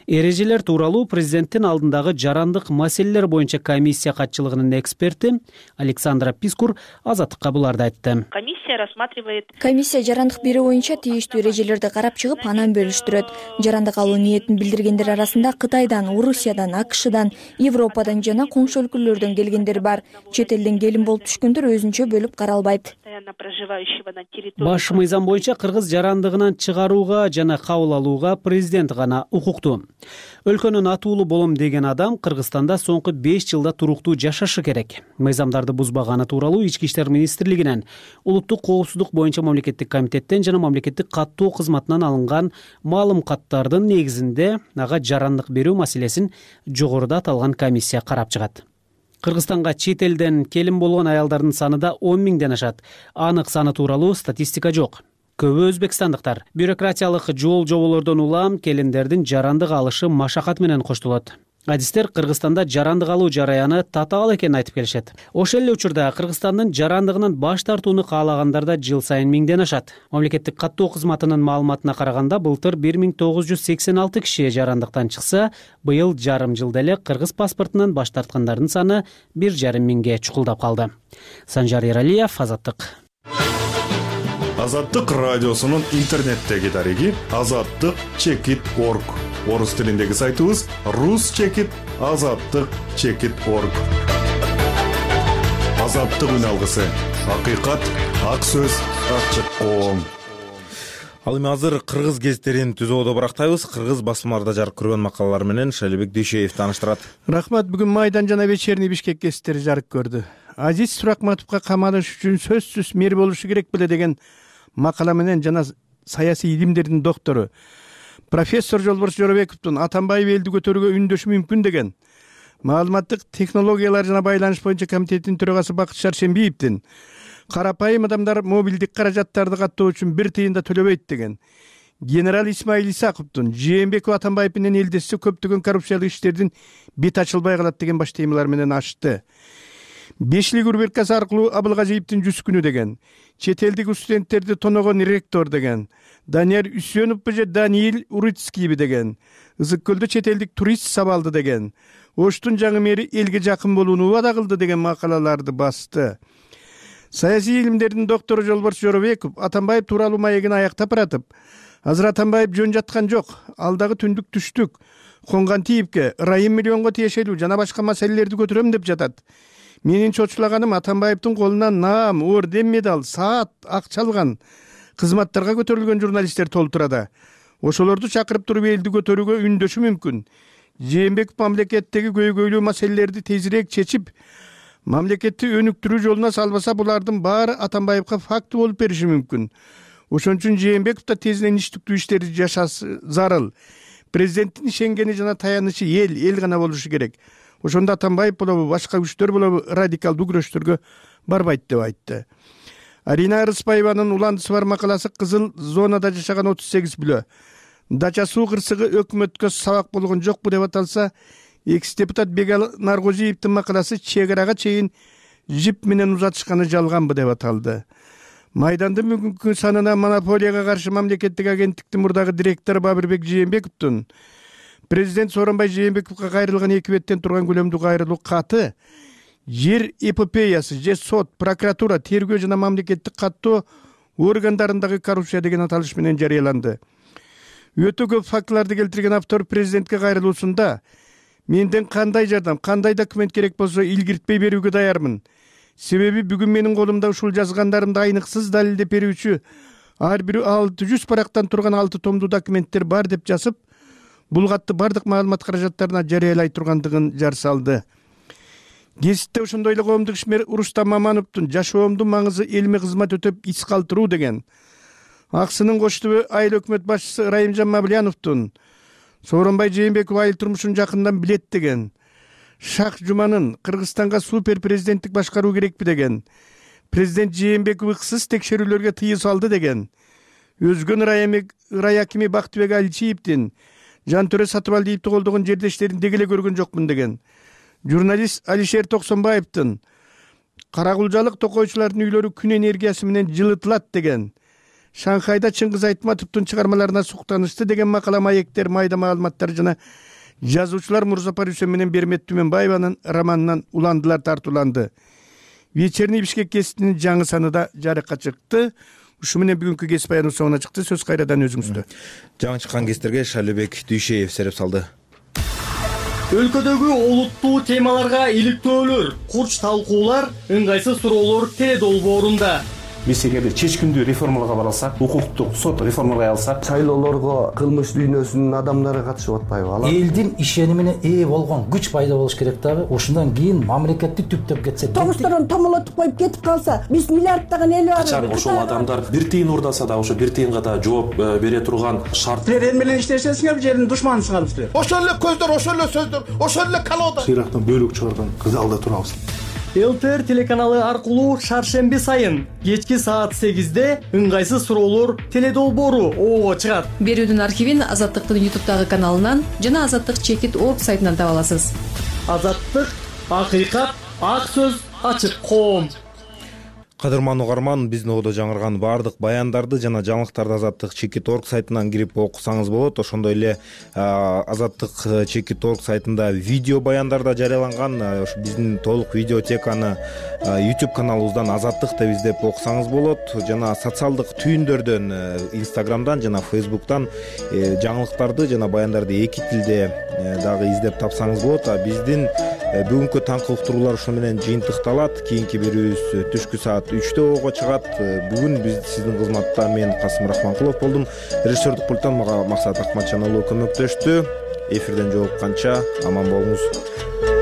Speaker 2: Эрежелер тууралуу президенттин алдындагы жарандык маселелер боюнча комиссия катчылыгынын эксперти Александра Пискур Азаттыкка буларды айтты.
Speaker 24: Комиссия рассматривает.
Speaker 25: Комиссия жарандык берүү боюнча тийиштүү эрежелерди карап чыгып, анан бөлүштүрөт. Жарандык алуу ниетин билдиргендер арасында Кытайдан, Орусиядан, АКШдан, Европадан жана коңшу өлкөлөрдөн келгендер бар. Чет элден келин болуп түшкөндөр өзүнчө бөлүп каралбайт.
Speaker 2: Баш мыйзам боюнча кыргыз жарандыгынан чыгарууга жана кабыл алууга президент гана укуктуу. Өлкөнүн атуулу болом деген адам Кыргызстанда соңку беш жылда туруктуу жашашы керек. Мыйзамдарды бузбаганы тууралуу Ички иштер министрлигинен, улуттук коопсуздук боюнча мамлекеттик комитеттен жана мамлекеттик каттоо кызматынан алынган маалым каттардын негизинде ага жарандык берүү маселесин жогоруда аталган комиссия карап чыгат. Кыргызстанга чет элден келин болгон аялдардын саны да он миңден ашат. Анык саны тууралуу статистика жок. көбү өзбекстандыктар. Бюрократиялык жол жоболордон улам келиндердин жарандык алышы машакат менен коштолот. Адистер Кыргызстанда жарандык алуу жараяны татаал экенин айтып келишет. Ошол эле учурда Кыргызстандын жарандыгынан баш тартууну каалагандар да жыл сайын миңден ашат. Мамлекеттик каттоо кызматынын маалыматына караганда былтыр бир миң тогуз жүз сексен алты киши жарандыктан чыкса, быйыл жарым жылда эле кыргыз паспортунан баш тарткандардын саны бир жарым миңге чукулдап калды. Санжар Эралиев, Азаттык.
Speaker 9: Азаттык радиосунун интернеттеги дареги азаттык чекит точка орг. Орус тилиндеги сайтыбыз рус чекит азаттык чекит точка орг. Азаттык үн алгысы. Акыйкат, ак сөз, ачык коом.
Speaker 1: Ал эми азыр кыргыз гезиттерин түзүүдө барактайбыз. Кыргыз басмаларда жарык көргөн макалалар менен Шалибек Дүйшеев тааныштырат.
Speaker 12: Рахмат. Бүгүн Майдан жана Вечерний Бишкек гезиттери жарык көрдү. Азиз Суракматовго камалыш үчүн сөзсүз мер болушу керек беле деген макала менен жана саясий илимдердин доктору профессор Жолборс Жоробековдун Атамбаев элди көтөрүүгө үндөшү мүмкүн деген маалыматтык технологиялар жана байланыш боюнча комитеттин төрагасы Бакыт Шаршембиевдин карапайым адамдар мобилдик каражаттарды каттоо үчүн бир тыйын да төлөбөйт деген генерал Исмаил Исаковдун Жээнбеков Атамбаев менен элдешсе көптөгөн коррупциялык иштердин бет ачылбай калат деген баш темалар менен ачты. Бешлик рубрикасы аркылуу Абылгазиевдин жүз күнү деген, чет элдик студенттерди тоногон ректор деген, Данияр Үсөновбу же Даниил Урицкийби деген, Ызык көлдө чет элдик турист сабалды деген, Оштун жаңы мэри элге жакын болууну убада кылды деген макалаларды басты. Саясий илимдердин доктору Жолборс Жоробеков Атамбаев тууралуу маегин аяктап баратып, азыр Атамбаев жөн жаткан жок, алдагы түндүк түштүк, конгон тийипке ырайым миллионго тиешелүү жана башка маселелерди көтөрөм деп жатат. Менин чочулаганым Атамбаевдин колунан наам, орден, медаль, саат, акча алган, кызматтарга көтөрүлгөн журналисттер толтурада. Ошолорду чакырып туруп элди көтөрүүгө үндөшү мүмкүн. Жээнбеков мамлекеттеги көйгөйлүү маселелерди тезирээк чечип, мамлекетти өнүктүрүү жолуна салбаса, булардын баары Атамбаевга факты болуп бериши мүмкүн. Ошон үчүн Жээнбеков да тезинен иштиктүү иштерди жашасы зарыл. Президенттин ишенгени жана таянычы эл, эл гана болушу керек. Ошондо Атамбаев болобу, башка күчтөр болобу радикалдуу күрөштөргө барбайт деп айтты. Арина Арыспаеванын уландысы бар макаласы кызыл зонада жашаган отуз сегиз бүлө. Дача суу кырсыгы өкмөткө сабак болгон жокпу деп аталса, экс-депутат Бегал Наргозиевдин макаласы чек арага чейин жип менен узатышканы жалганбы деп аталды. Майдандын бүгүнкү санына монополияга каршы мамлекеттик агенттиктин мурдагы директору Бабырбек Жээнбековдун президент Сооронбай Жээнбековго кайрылган эки беттен турган көлөмдүү кайрылуу каты жер эпопеясы же сот, прокуратура, тергөө жана мамлекеттик каттоо органдарындагы коррупция деген аталыш менен жарыяланды. Өтө көп фактыларды келтирген автор президентке кайрылуусунда менден кандай жардам, кандай документ керек болсо илгиртпей берүүгө даярмын. Себеби бүгүн менин колумда ушул жазгандарымды айныксыз далилдеп берүүчү ар бир алты жүз парактан турган алты томдуу документтер бар деп жазып, бул катты бардык маалымат каражаттарына жарыялай тургандыгын жар салды. Гезитте ошондой эле коомдук ишмер Урустам Мамановдун жашоомдун маңызы элиме кызмат өтөп ис калтыруу деген, Аксынын коштубу айыл өкмөт башчысы Райымжан Мавлияновдун Сооронбай Жээнбеков айыл турмушун жакындан билет деген, Шах Жуманын Кыргызстанга супер президенттик башкаруу керекпи деген, президент Жээнбеков ыксыз текшерүүлөргө тыюу салды деген, өзгөн ырай акими Бактыбек Алчиевдин Жантөрө Сатыбалдиевди колдогон жердештерин дегеле көргөн жокмун деген, журналист Алишер Токсонбаевдин каракулжалык токойчулардын үйлөрү күн энергиясы менен жылытылат деген, Шанхайда Чыңгыз Айтматовдун чыгармаларына суктанышты деген макала маектер, майда маалыматтар жана жазуучулар Мурзапар Үсен менен Бермет Түмөнбаеванын романынан уландылар тартууланды. Вечерний Бишкек гезитинин жаңы саны да жарыкка чыкты. Ушу менен бүгүнкү гезит баяныбыз соңуна чыкты. Сөз кайрадан өзүңүздө.
Speaker 1: Жаңы чыккан гезиттерге Шалибек Дүйшеев сереп салды.
Speaker 15: Өлкөдөгү олуттуу темаларга иликтөөлөр, курч талкуулар, ыңгайсыз суроолор теле долбоорунда.
Speaker 17: Биз эгерде чечкиндүү реформаларга бара алсак, укуктук сот реформаларга алсак,
Speaker 24: шайлоолорго кылмыш дүйнөсүнүн адамдары катышып атпайбы? Алар элдин ишенимине ээ болгон күч пайда болуш керек дагы. Ошондон кийин мамлекетти түптөп кетсе,
Speaker 26: тогушторун томолотуп коюп кетип калса, биз миллиарддаган эл бар.
Speaker 17: Качан ошол адамдар бир тыйын урдаса да, ошо бир тыйынга да жооп бере турган шарт.
Speaker 26: Силер эл менен иштешесиңер, жердин душманысыңар силер.
Speaker 27: Ошол эле көздөр, ошол эле сөздөр, ошол эле колода.
Speaker 17: Сыйрактан бөлүк чыгарган кызалда турабыз.
Speaker 15: ЛТР телеканалы аркылуу шаршемби сайын кечки саат сегизде ыңгайсыз суроолор теледолбоору оого чыгат.
Speaker 5: Берүүдүн архивин Азаттыктын ютубтагы каналынан жана азаттык чекит точка орг сайтынан таба аласыз.
Speaker 15: Азаттык, акыйкат, ак сөз, ачык коом.
Speaker 1: Кадырман угарман, биздин оодо жаңырган баардык баяндарды жана жаңылыктарды азаттык чекит точка орг сайтынан кирип окусаңыз болот. Ошондой эле азаттык чекит точка орг сайтында видео баяндар да жарыяланган. Биздин толук видеотеканы YouTube каналыбыздан азаттык деп издеп окусаңыз болот. Жана социалдык түйүндөрдөн, Instagramдан жана Facebook'тан жаңылыктарды жана баяндарды эки тилде дагы издеп тапсаңыз болот. Биздин бүгүнкү таңкы уктуруулар ушу менен жыйынтыкталат. Кийинки берүүбүз түшкү саат үчтө оого чыгат. Бүгүн биз сиздин кызматта мен Касым Рахманкулов болдум. Режиссердик пульттан мага Максат Акматжан уулу көмөктөштү. Эфирден жолукканча аман болуңуз.